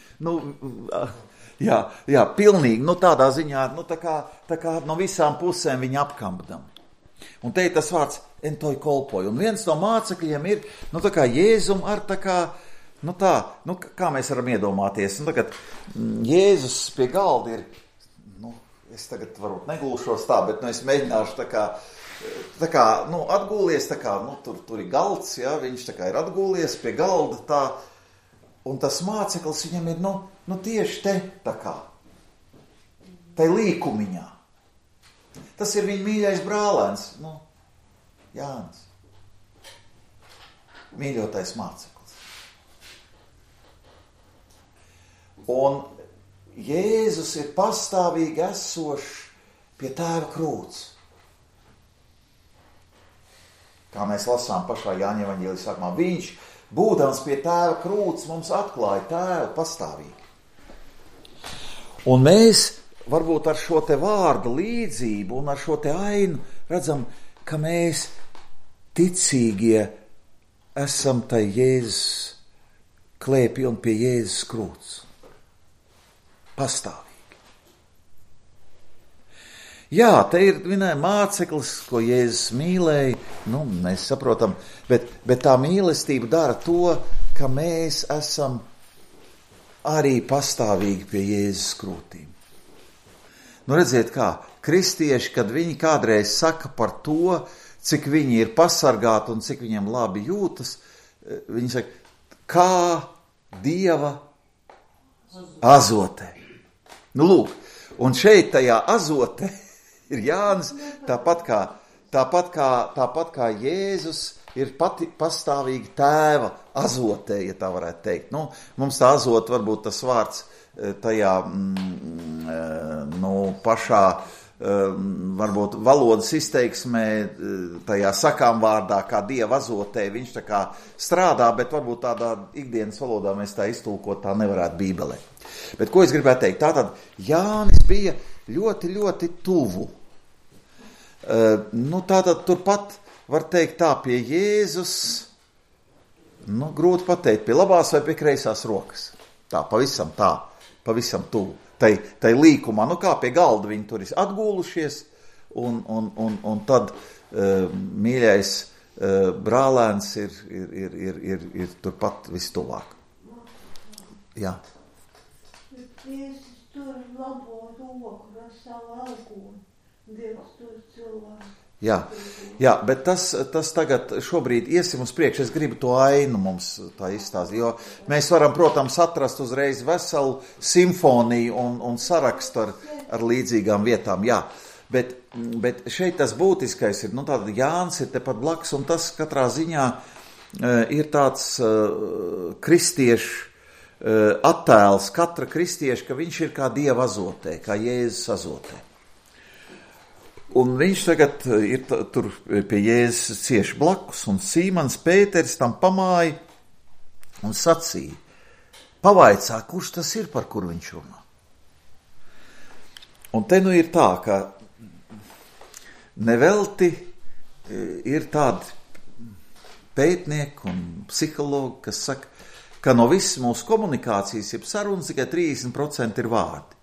pilnīgi, tādā ziņā, tā kā no visām pusēm viņu apkampdam. Un te ir tas vārds entoi kolpoi. Un viens no mācekļiem ir, tā kā Jēzum ar kā mēs varam iedomāties. Tagad Jēzus pie galda ir, es tagad varbūt negulšos tā, bet es mēģināšu atgūlies, tur ir galds, ja, viņš ir atgūlies pie galda tā, un tas māceklis viņam ir, tieši te tai līkumiņā. Tas ir viņa mīļais brālēns, Jānis. Mīļotais māceklis. Un Jēzus ir pastāvīgi esošs pie Tēva krūts. Kā mēs lasām pašā Jāņa evaņģēlijas sākumā, viņš, būdams pie Tēva krūts, mums atklāja Tēvu pastāvīgi. Un mēs varbūt ar šo te vārdu līdzību un ar šo te ainu redzam, ka mēs ticīgie esam tai Jēzus klēpī un pie Jēzus krūts. Pastāvīgi. Jā, te ir māceklis, ko Jēzus mīlēja, mēs saprotam, bet tā mīlestība dara to, ka mēs esam arī pastāvīgi pie Jēzus krūtīm. Redziet kā, kristieši, kad viņi kādreiz saka par to, cik viņi ir pasargāti un cik viņiem labi jūtas, viņi saka, kā Dieva azotē. Lūk, un šeit tajā azotē ir Jānis, tāpat kā Jēzus ir pastāvīgi Tēva azotē, ja tā varētu teikt. Mums tā azota varbūt tas vārds tajā pašā varbūt valodas izteiksmē, tajā sakām vārdā, kā Dieva azotē, viņš tā kā strādā, bet varbūt tādā ikdienas valodā mēs tā iztulkot tā nevarētu Bībelē. Bet ko es gribētu teikt? Tātad Jānis bija ļoti, ļoti tuvu. Tātad turpat var teikt tā pie Jēzus, grūti pateikt, pie labās vai pie kreisās rokas. Pavisam tuvu. Tai līkumā, kā pie galda viņi tur ir atgūlušies, un tad mīļais brālēns ir turpat vistuvāk. Jā. Jēzus tur labo roku ar savu algoni. Dievs tur cilvēku. Jā, bet tas tagad šobrīd iesim uz priekšu. Es gribu to ainu mums tā izstāstīt, jo mēs varam, protams, atrast uzreiz veselu simfoniju un sarakstu ar līdzīgām vietām, jā. Bet šeit tas būtiskais ir, tāda Jānis ir tepat blakus, un tas katrā ziņā ir tāds kristiešu attēls, katra kristieša, ka viņš ir kā Dieva azotē, kā Jēzus azotē. Un viņš tagad ir tur pie Jēzus cieši blakus, un Sīmans Pēteris tam pamāja un sacīja, pavaicā, kurš tas ir, par kuru viņš runā. Un te ir tā, ka nevelti ir tādi pētnieki un psihologi, kas saka, ka no visas mūsu komunikācijas, jeb sarunas, tikai 30% ir vārdi.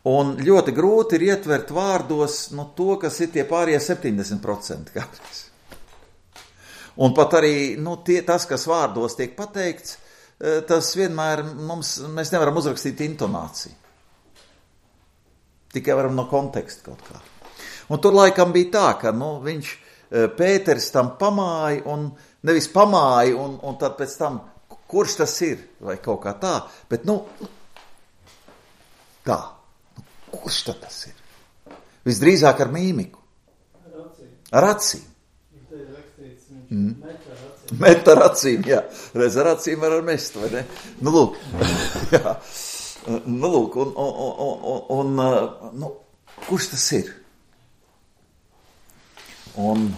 Un ļoti grūti ir ietvert vārdos to, kas ir tie pārējie 70% kādreiz. Un pat arī tas, kas vārdos tiek pateikts, tas vienmēr mēs nevaram uzrakstīt intonāciju. Tikai varam no konteksta kaut kā. Un tur laikam bija tā, ka viņš Pēteris tam pamāja, un nevis pamāja, un tad pēc tam, kurš tas ir, vai kaut kā tā, bet tā. Kurš tad tas ir? Visdrīzāk ar mīmiku. Ar acīm. Met ar acīm, jā. Reiz ar acīm var mest, vai ne? Lūk. Jā. Lūk, un kurš tas ir? Un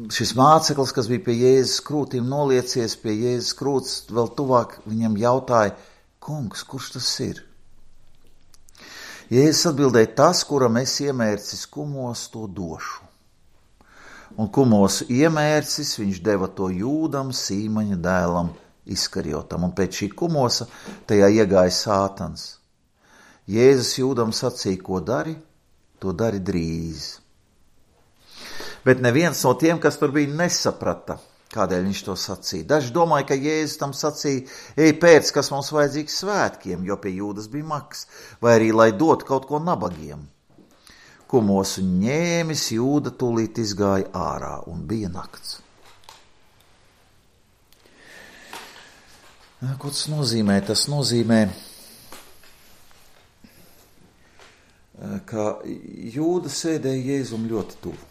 šis māceklis, kas bija pie Jēzus krūtīm noliecies, pie Jēzus krūts vēl tuvāk, viņam jautāja, kungs, kurš tas ir? Jēzus atbildēja, tas, kuram es iemērcis kumos, to došu. Un kumosu iemērcis viņš deva to Jūdam, Sīmaņa dēlam, Iskariotam. Un pēc šī kumosa tajā iegāja Sātans. Jēzus Jūdam sacīja, ko dari, to dari drīz. Bet neviens no tiem, kas tur bija, nesaprata, kādēļ viņš to sacīja. Daži domāja, ka Jēzus tam sacīja, ej pēc, kas mums vajadzīgs svētkiem, jo pie Jūdas bija maks, vai arī, lai dotu kaut ko nabagiem. Kumosu ņēmis, Jūda tūlīt izgāja ārā, un bija nakts. Ko tas nozīmē? Tas nozīmē, ka Jūda sēdēja Jēzum ļoti tuvu.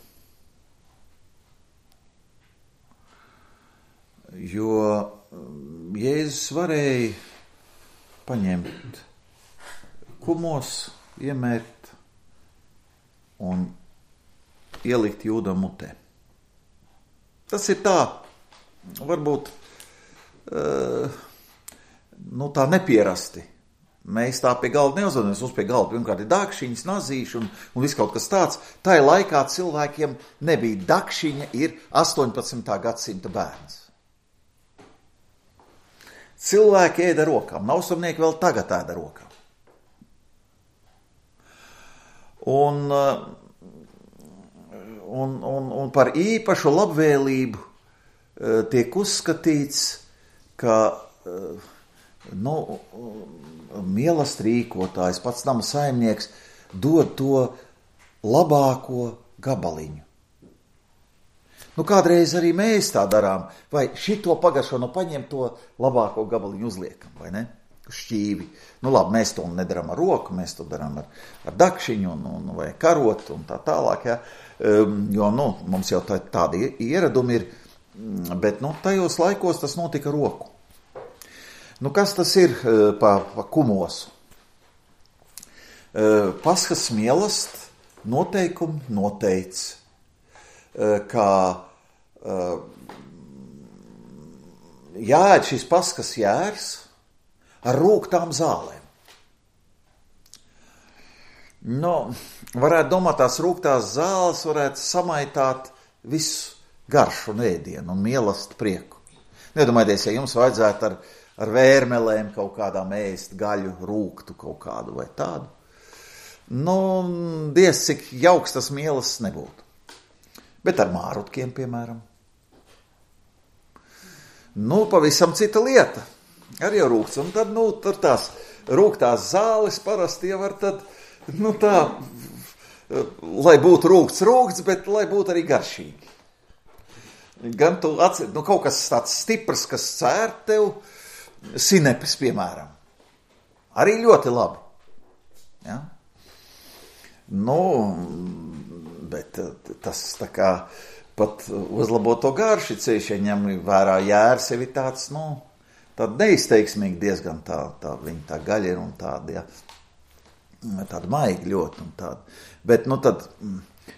Jo Jēzus varēja paņemt kumos, iemērt un ielikt Jūdam mutē. Tas ir tā, varbūt tā nepierasti. Mēs tā pie galda neuzvedamies, mums pie galda pirmkārt ir dakšiņas, nazīši un viss kaut kas tāds. Tā laikā cilvēkiem nebija dakšiņa, ir 18. gadsimta bērns. Cilvēki ēda rokām, nausumnieki vēl tagad ēda rokām. Un par īpašu labvēlību tiek uzskatīts, ka mīlestības rīkotājs, pats nama saimnieks, dod to labāko gabaliņu. Kādreiz arī mēs tā darām, vai šito pagaršo, paņem to labāko gabaliņu uzliekam, vai ne? Šķīvi. Labi, mēs to nedaram ar roku, mēs to darām ar dakšiņu vai karotu un tā tālāk, ja? Jo, mums jau tādi ieradumi ir, bet, tajos laikos tas notika roku. Kas tas ir pa kumosu? Paskas mīlest noteikumi noteica, ka jāēd šis paskas jērs ar rūgtām zālēm. Varētu domāt, tās rūgtās zāles varētu samaitāt visu garšu un ēdienu un mīlest prieku. Nedomājieties, ja jums vajadzētu ar vērmelēm kaut kādām ēst gaļu, rūgtu kaut kādu vai tādu. Diez, cik jauks tas mīlestības nebūtu. Bet ar mārutkiem, piemēram. Pavisam cita lieta. Arī jau rūgts. Un tad, tur tās rūgtās zāles parasti jau var tad Nu tā, lai būtu rūgts, bet lai būtu arī garšīgi. Gan tu atcer, kaut kas tāds stiprs, kas cēr tev, sinepes, piemēram. Arī ļoti labi. Ja? Bet tas tā kā pat uzlabo to garši ceļš, ja ņem vērā jērs, jau ir tāds, tāda neizteiksmīgi diezgan tā viņa tā gaļa ir un tāda, ja, tāda maiga ļoti un tāda. Bet, tad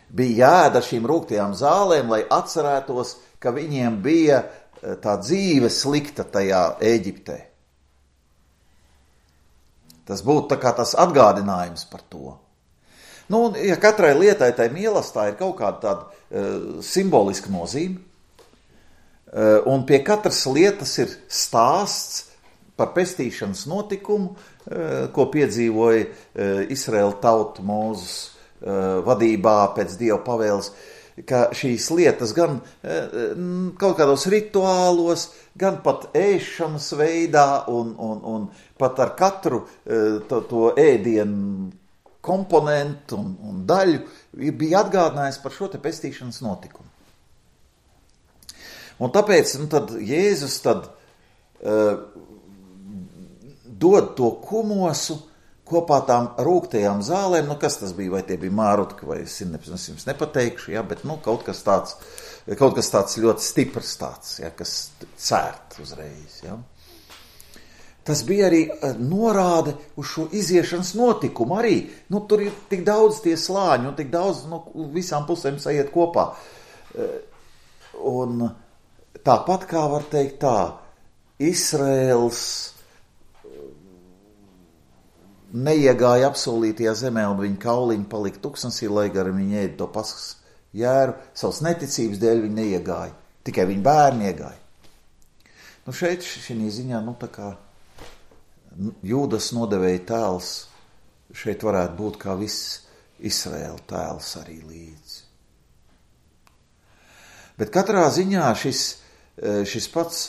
bija jāēda šīm rūgtajām zālēm, lai atcerētos, ka viņiem bija tā dzīve slikta tajā Ēģiptē. Tas būtu tā kā tas atgādinājums par to. Ja katrai lietai tai mīlestā ir kaut kāda tāda simboliska nozīme, un pie katras lietas ir stāsts par pestīšanas notikumu, ko piedzīvoja Izraēla tauta Mūzes vadībā pēc Dieva pavēles, ka šīs lietas gan kaut kādos rituālos, gan pat ēšanas veidā un pat ar katru to ēdienu komponentu un daļu bija atgādinājis par šo te pestīšanas notikumu. Un tāpēc tad Jēzus dod to kumosu kopā tām rūgtajām zālēm, kas tas bija, vai tie bija mārutki, vai sinepes, es jums nepateikšu, ja, bet kaut kas tāds ļoti stiprs tāds, ja, kas cērt uzreiz, ja. Tas bija arī norāde uz šo iziešanas notikumu arī, tur ir tik daudz tie slāņi, un tik daudz visām pusēm sajiet kopā. Un tāpat kā var teikt tā, Izraēls neiegāja apsolītajā zemē, un viņa kauliņi palika tuksnesī, lai gar viņi ēda to paskas jēru, savas neticības dēļ viņi neiegāja, tikai viņa bērni iegāja. Šeit šī ziņā, tā kā Jūdas nodevēja tēls, šeit varētu būt kā viss Izraēla tēls arī līdzi. Bet katrā ziņā šis pats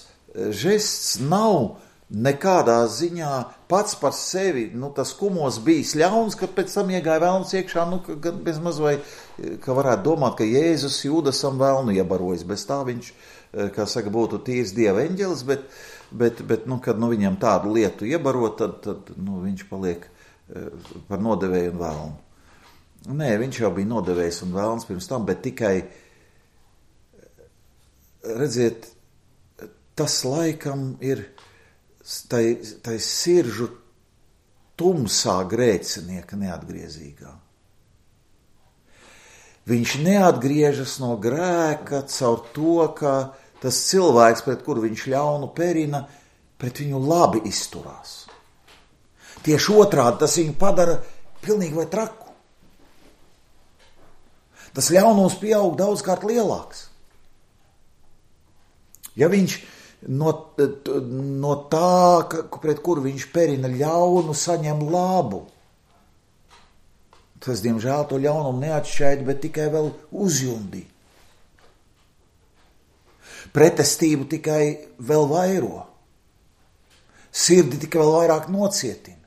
žests nav nekādā ziņā pats par sevi, tas kumos bijis ļauns, ka pēc tam iegāja velns iekšā, gan bez maz vai, ka varētu domāt, ka Jēzus Jūdasam velnu iebarojas, bez tā viņš, kā saka, būtu tīrs Dieva eņģelis, bet kad viņam tādu lietu iebaro, tad viņš paliek par nodevēju un velnu. Nē, viņš jau bija nodevējs un velns pirms tam, bet tikai, redziet, tas laikam ir tai siržu tumsā grēcinieka neatgriezīgā. Viņš neatgriežas no grēka caur to, ka tas cilvēks, pret kuru viņš ļaunu perina, pret viņu labi izturās. Tieši otrādi tas viņu padara pilnīgi vai traku. Tas ļaunums pieaug daudzkārt lielāks. Ja viņš no tā, pret kuru viņš perina ļaunu, saņem labu, tas, diemžēl, to ļaunumu neatšķaida, bet tikai vēl uzjundī. Pretestību tikai vēl vairo. Sirdi tikai vēl vairāk nocietina.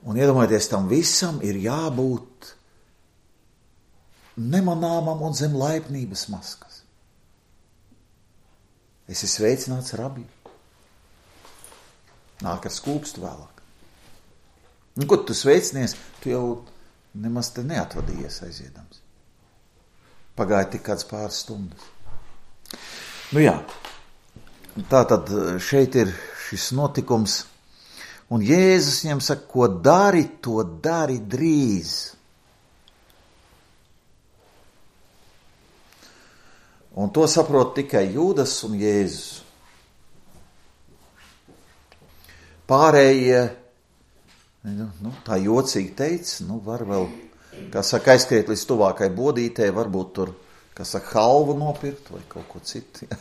Un iedomājieties, tam visam ir jābūt nemanāmam un zem laipnības maskas. Esi sveicināts, rabi. Nāk ar skūpstu vēlāk. Un, ko tu sveicinies, tu jau nemaz te neatvadījies aiziedams. Pagāja tik kāds pāris stundas. Jā, tā tad šeit ir šis notikums, un Jēzus viņam saka, ko dari, to dari drīz. Un to saprot tikai Jūdas un Jēzus. Pārējie, tā jocīgi teica, var vēl, kā saka, aizskriet līdz tuvākai bodītē, varbūt tur, kā saka, halvu nopirkt vai kaut ko citu, ja?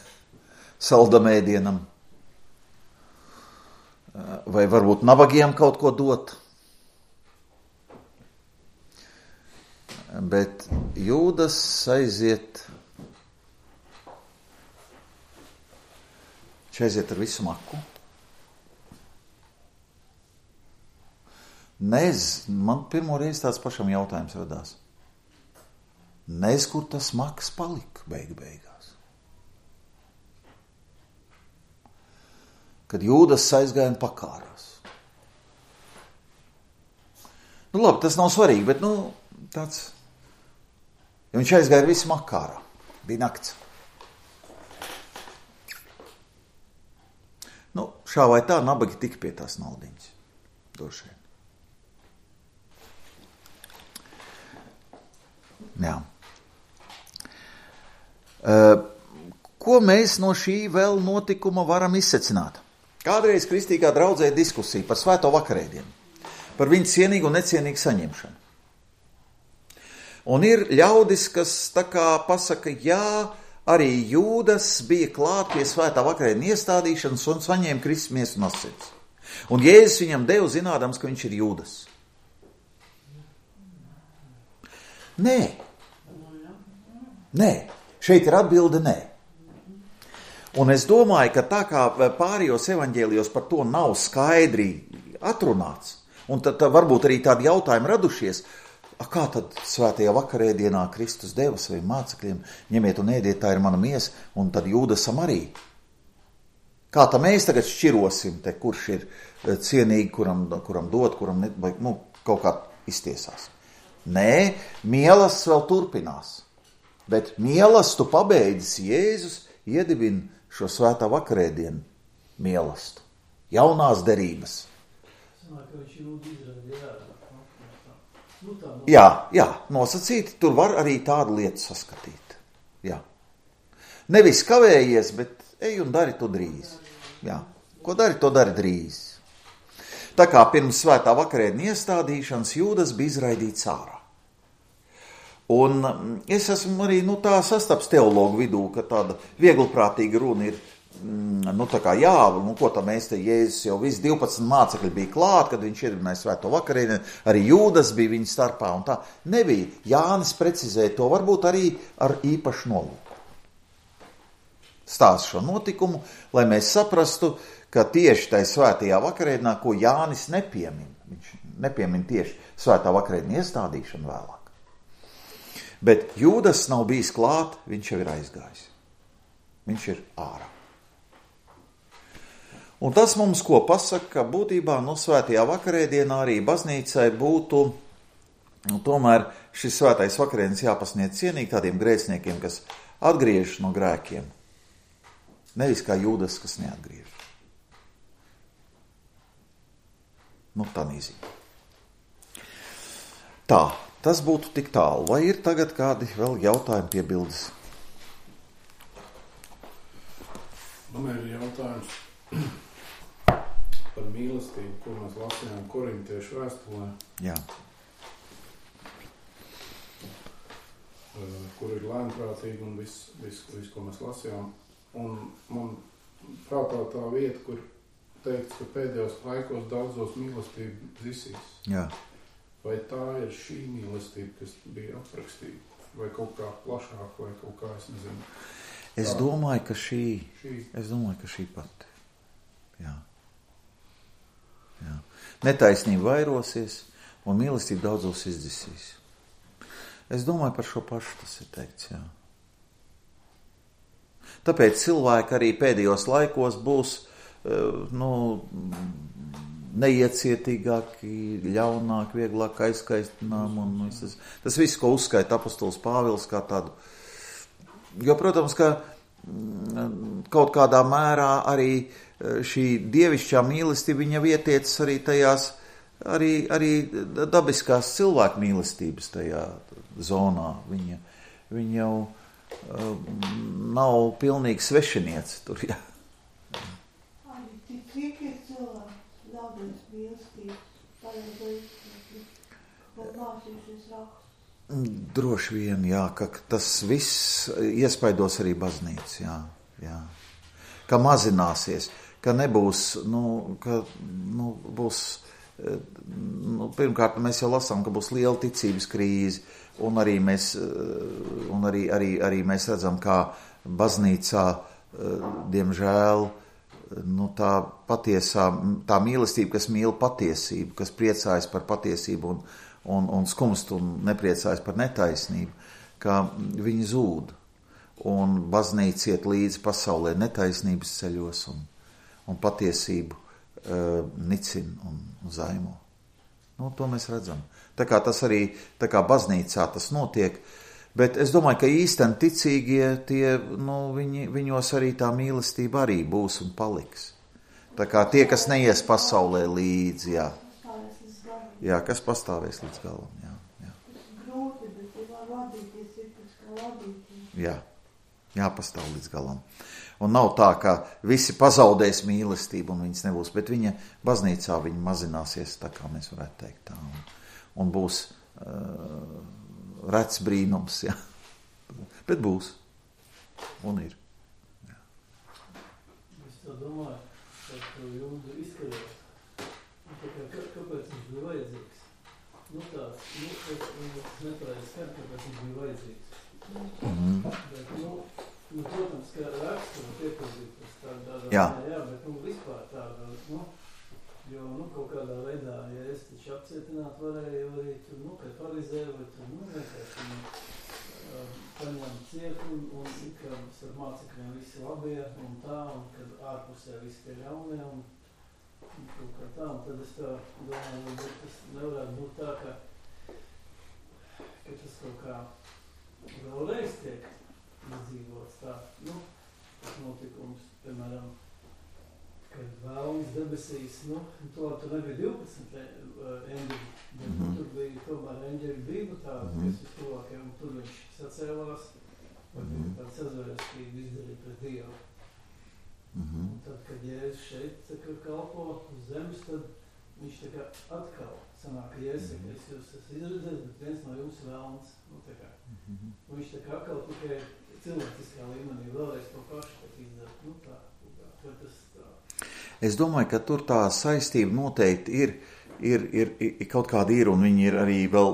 Saldamēdienam. Vai varbūt nabagiem kaut ko dot. Bet Jūdas aiziet ar visu maku. Man pirmo reizi tāds pašam jautājums radās. Nez, kur tas maks palika beigās. Kad Jūdas aizgāja un pakārās. Nu labi, tas nav svarīgi, bet tāds. Ja viņš aizgāja ar visu makārā. Bija nakts. Šā vai tā nabagi tika pie tās naudiņas. Došiem. Jā. Ko mēs no šī vēl notikuma varam izsecināt? Kādreiz kristīgā draudzē diskusija par svēto vakarēdienu, par viņu cienīgu un necienīgu saņemšanu. Un ir ļaudis, kas tā kā pasaka, jā, arī Jūdas bija klāt pie svētā vakarēdienu iestādīšanas un saņēma Kristus miesu un asinis. Un Jēzus viņam deva zinādams, ka viņš ir Jūdas. Nē, šeit ir atbilde nē. Un es domāju, ka tā kā pārējos evaņģēlijos par to nav skaidri atrunāts, un tad varbūt arī tādi jautājumi radušies, kā tad svētajā vakarēdienā Kristus deva saviem mācekļiem, ņemiet un ēdiet, tā ir mana miesa, un tad Jūdasam arī. Kā tā mēs tagad šķirosim, kurš ir cienīgi, kuram dot, kuram ne, vai, kaut kā iztiesās. Nē, mielasts vēl turpinās, bet mielastu pabeidzis Jēzus iedibina šo svētā vakarēdienu mielastu, jaunās derības. Jā, nosacīti, tur var arī tādu lietu saskatīt. Jā. Nevis kavējies, bet ej un dari to drīz. Jā. Ko dari, to dari drīz. Tā kā pirms svētā vakarēdienu iestādīšanas Jūdas bija izraidīts ārā. Un es esmu arī tā sastaps teologu vidū, ka tāda vieglprātīga runa ir, tā kā jā, ko tā mēs te Jēzus jau visi 12 mācekļi bija klāt, kad viņš iedibināja svēto vakarēdienu, arī Jūdas bija viņa starpā un tā. Nebija. Jānis precizēja to varbūt arī ar īpašu nolūku. Stāst šo notikumu, lai mēs saprastu, ka tieši tai svētajā vakarēdienā, ko Jānis nepiemin, viņš nepiemin tieši svētā vakarēdienu iestādīšanu vēlāk. Bet Jūdas nav bijis klāt, viņš jau ir aizgājis. Viņš ir ārā. Un tas mums ko pasaka, ka būtībā svētajā vakarēdienā arī baznīcai būtu tomēr šis svētais vakarēdienas jāpasniedz cienīgi tādiem grēciniekiem, kas atgriežas no grēkiem. Nevis kā Jūdas, kas neatgriežas. Tā nīzīgi. Tā. Tas būtu tik tālu. Vai ir tagad kādi vēl jautājumi piebildes? Man ir jautājums par mīlestību, ko mēs lasījām Korintiešu vēstulē. Jā. Kur ir lēnprātīgi un viss, ko mēs lasījām. Un man prātā tā vieta, kur teikts, ka pēdējos laikos daudzos mīlestību zisīs. Jā. Vai tā ir šī mīlestība, kas bija aprakstīta? Vai kaut kā plašāk, vai kaut kā, es nezinu. Es domāju, ka šī pati. Jā. Netaisnība vairosies, un mīlestība daudzos izdzisīs. Es domāju, par šo pašu tas ir teikts, jā. Tāpēc cilvēki arī pēdējos laikos būs, neiecietīgāki, ļaunāki, vieglāk aizskaistinām un tas viss, ko uzskaita apostols Pāvils kā tādu. Jo, protams, ka kaut kādā mērā arī šī dievišķā mīlestība viņa vietiecas arī tajās, arī dabiskās cilvēku mīlestības tajā zonā. Viņa jau nav pilnīgi svešiniece tur, jā. Cik ir cilvēki? Daudz mīlestības, vai mācījušies rakstu? Droši vien, jā, ka tas viss iespaidos arī baznīcu, jā. Ka mazināsies, ka nebūs, būs, pirmkārt mēs jau lasām, ka būs liela ticības krīze, un arī mēs redzam, kā baznīcā, diemžēl, tā patiesā, tā mīlestība, kas mīl patiesību, kas priecājas par patiesību un skumst un nepriecājas par netaisnību, ka viņi zūd. Un baznīca iet līdzi pasaulē netaisnības ceļos un patiesību nicina un zaimo. To mēs redzam. Tā kā tas arī, tā kā baznīcā tas notiek, bet es domāju, ka īsteni ticīgie, viņos arī tā mīlestība arī būs un paliks. Tā kā tie, kas neies pasaulē līdzi, jā, kas pastāvēs līdz galam, jā. Grūti, bet ir vadīties, ir tas, kā vadīties. Jā, jāpastāv līdz galam. Un nav tā, ka visi pazaudēs mīlestību un viņas nebūs, bet viņa baznīcā viņa mazināsies, tā kā mēs varētu teikt tā. Un būs rets brīnums, jā. Bet būs. Un ir. Jā. Es tā domāju, ka to Jūdu izkarot. Kāpēc viņš bija vajadzīgs? Tas nepareiz skar, kāpēc viņš bija vajadzīgs. Bet, protams, ka raksturu iepazītas tādā jā, bet vispār tāda, jo, kaut kādā veidā, ja es taču apcietināt varēju arī tur, kad farizēju, vai tur, vienkārši paņem ciet un ka ar mācekļiem visi labie un tā, un kad ārpusē visi tie ļaunie un kaut kā tā, un tad es tā domāju, bet tas nevarētu būt tā, ka tas kaut kā vēlreiz tiek izdzīvots tā, tas notikums, piemēram, kad vēlams debesīs, to tur nebija 12 eņģeļi, bet tur bija tomēr eņģeļi bija tāda, kas vistuvākie, un tur viņš sacēlās, vai tāds sazvērstīgi izdarīja pret Dievu. Un tad, kad Jēzus šeit kalpo uz zemes, tad viņš tā kā atkal sanāk, ka Jēzus saka, es jūs esmu izredzējis, bet viens no jums vēlams, tā kā. Un viņš tā kā atkal tikai cilvēciskā līmenī vēlreiz to pašu izdara. Es domāju, ka tur tā saistība noteikti ir kaut kāda ir, un viņi ir arī vēl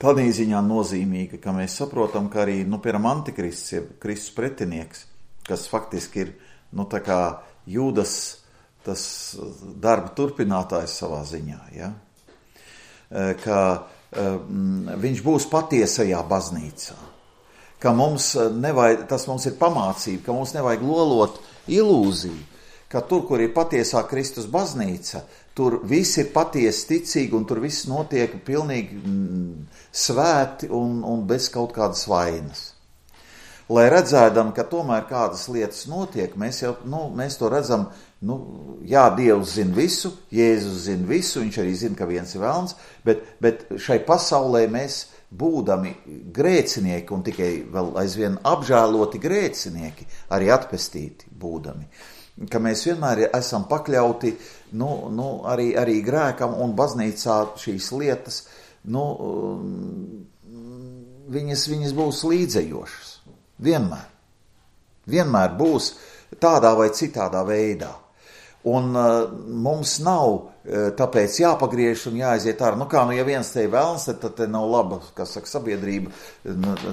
tādā ziņā nozīmīga, ka mēs saprotam, ka arī, piemēram, antikrists, ja Kristus pretinieks, kas faktiski ir, tā kā Jūdas tas darba turpinātājs savā ziņā, ja? Ka viņš būs patiesajā baznīcā. Ka tas mums ir pamācība, ka mums nevajag lolot ilūziju, ka tur, kur ir patiesā Kristus baznīca, tur viss ir patiesi ticīgi un tur viss notiek pilnīgi svēti un bez kaut kādas vainas. Lai redzēdam, ka tomēr kādas lietas notiek, mēs to redzam, jā, Dievs zina visu, Jēzus zina visu, viņš arī zina, ka viens ir velns, bet šai pasaulē mēs būdami grēcinieki un tikai vēl aizvien apžēloti grēcinieki, arī atpestīti būdami, ka mēs vienmēr esam pakļauti arī grēkam un baznīcā šīs lietas, viņas būs līdzējošas. Vienmēr būs tādā vai citādā veidā. Un mums nav tāpēc jāpagriež un jāaiziet ārā. Ja viens te ir vēlns, tad te nav laba, kas saka, sabiedrība,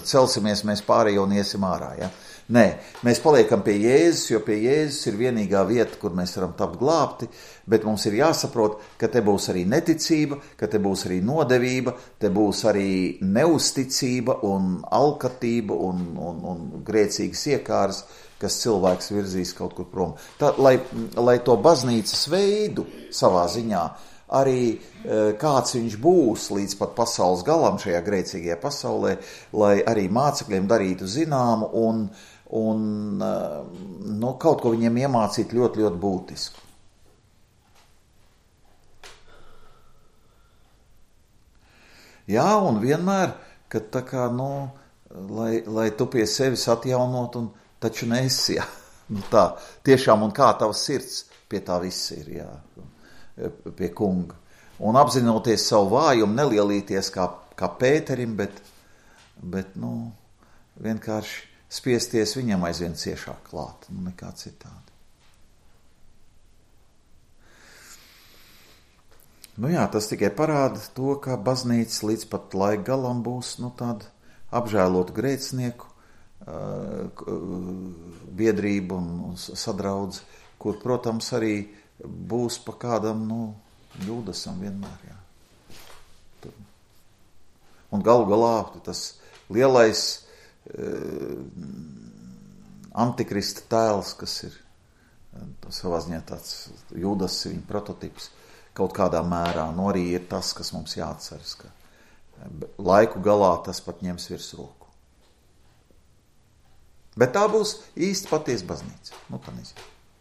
celsimies mēs pārējo un iesim ārā. Ja? Nē, mēs paliekam pie Jēzus, jo pie Jēzus ir vienīgā vieta, kur mēs varam tapt glābti, bet mums ir jāsaprot, ka te būs arī neticība, ka te būs arī nodevība, te būs arī neusticība un alkatība un grēcīgas iekāras, kas cilvēks virzīs kaut kur prom. Lai to baznīcas veidu savā ziņā, arī kāds viņš būs līdz pat pasaules galam šajā grēcīgajā pasaulē, lai arī mācekļiem darītu zināmu un kaut ko viņiem iemācīt ļoti, ļoti būtisku. Jā, un vienmēr, kad tā kā, lai tu pie sevis atjaunot un taču nesi, jā. Tā, tiešām, un kā tavs sirds pie tā viss ir, jā, pie kunga. Un apzinoties savu vājumu, nelielīties kā Pēterim, bet vienkārši spiesties viņam aizvien ciešāk klāt, nekā citādi. Jā, tas tikai parāda to, ka baznīca līdz pat laika galam būs, tāda apžēlotu grēcinieku biedrība un sadraudze, kur, protams, arī būs pa kādam, Jūdasam vienmēr, jā. Un galu galā tas lielais antikrista tēls, kas ir savā ziņā tāds Jūdas viņa prototips, kaut kādā mērā, arī ir tas, kas mums jāatceras, ka laiku galā tas pat ņems virsroku. Bet tā būs īsti patiesa baznīca. Tā nezinu.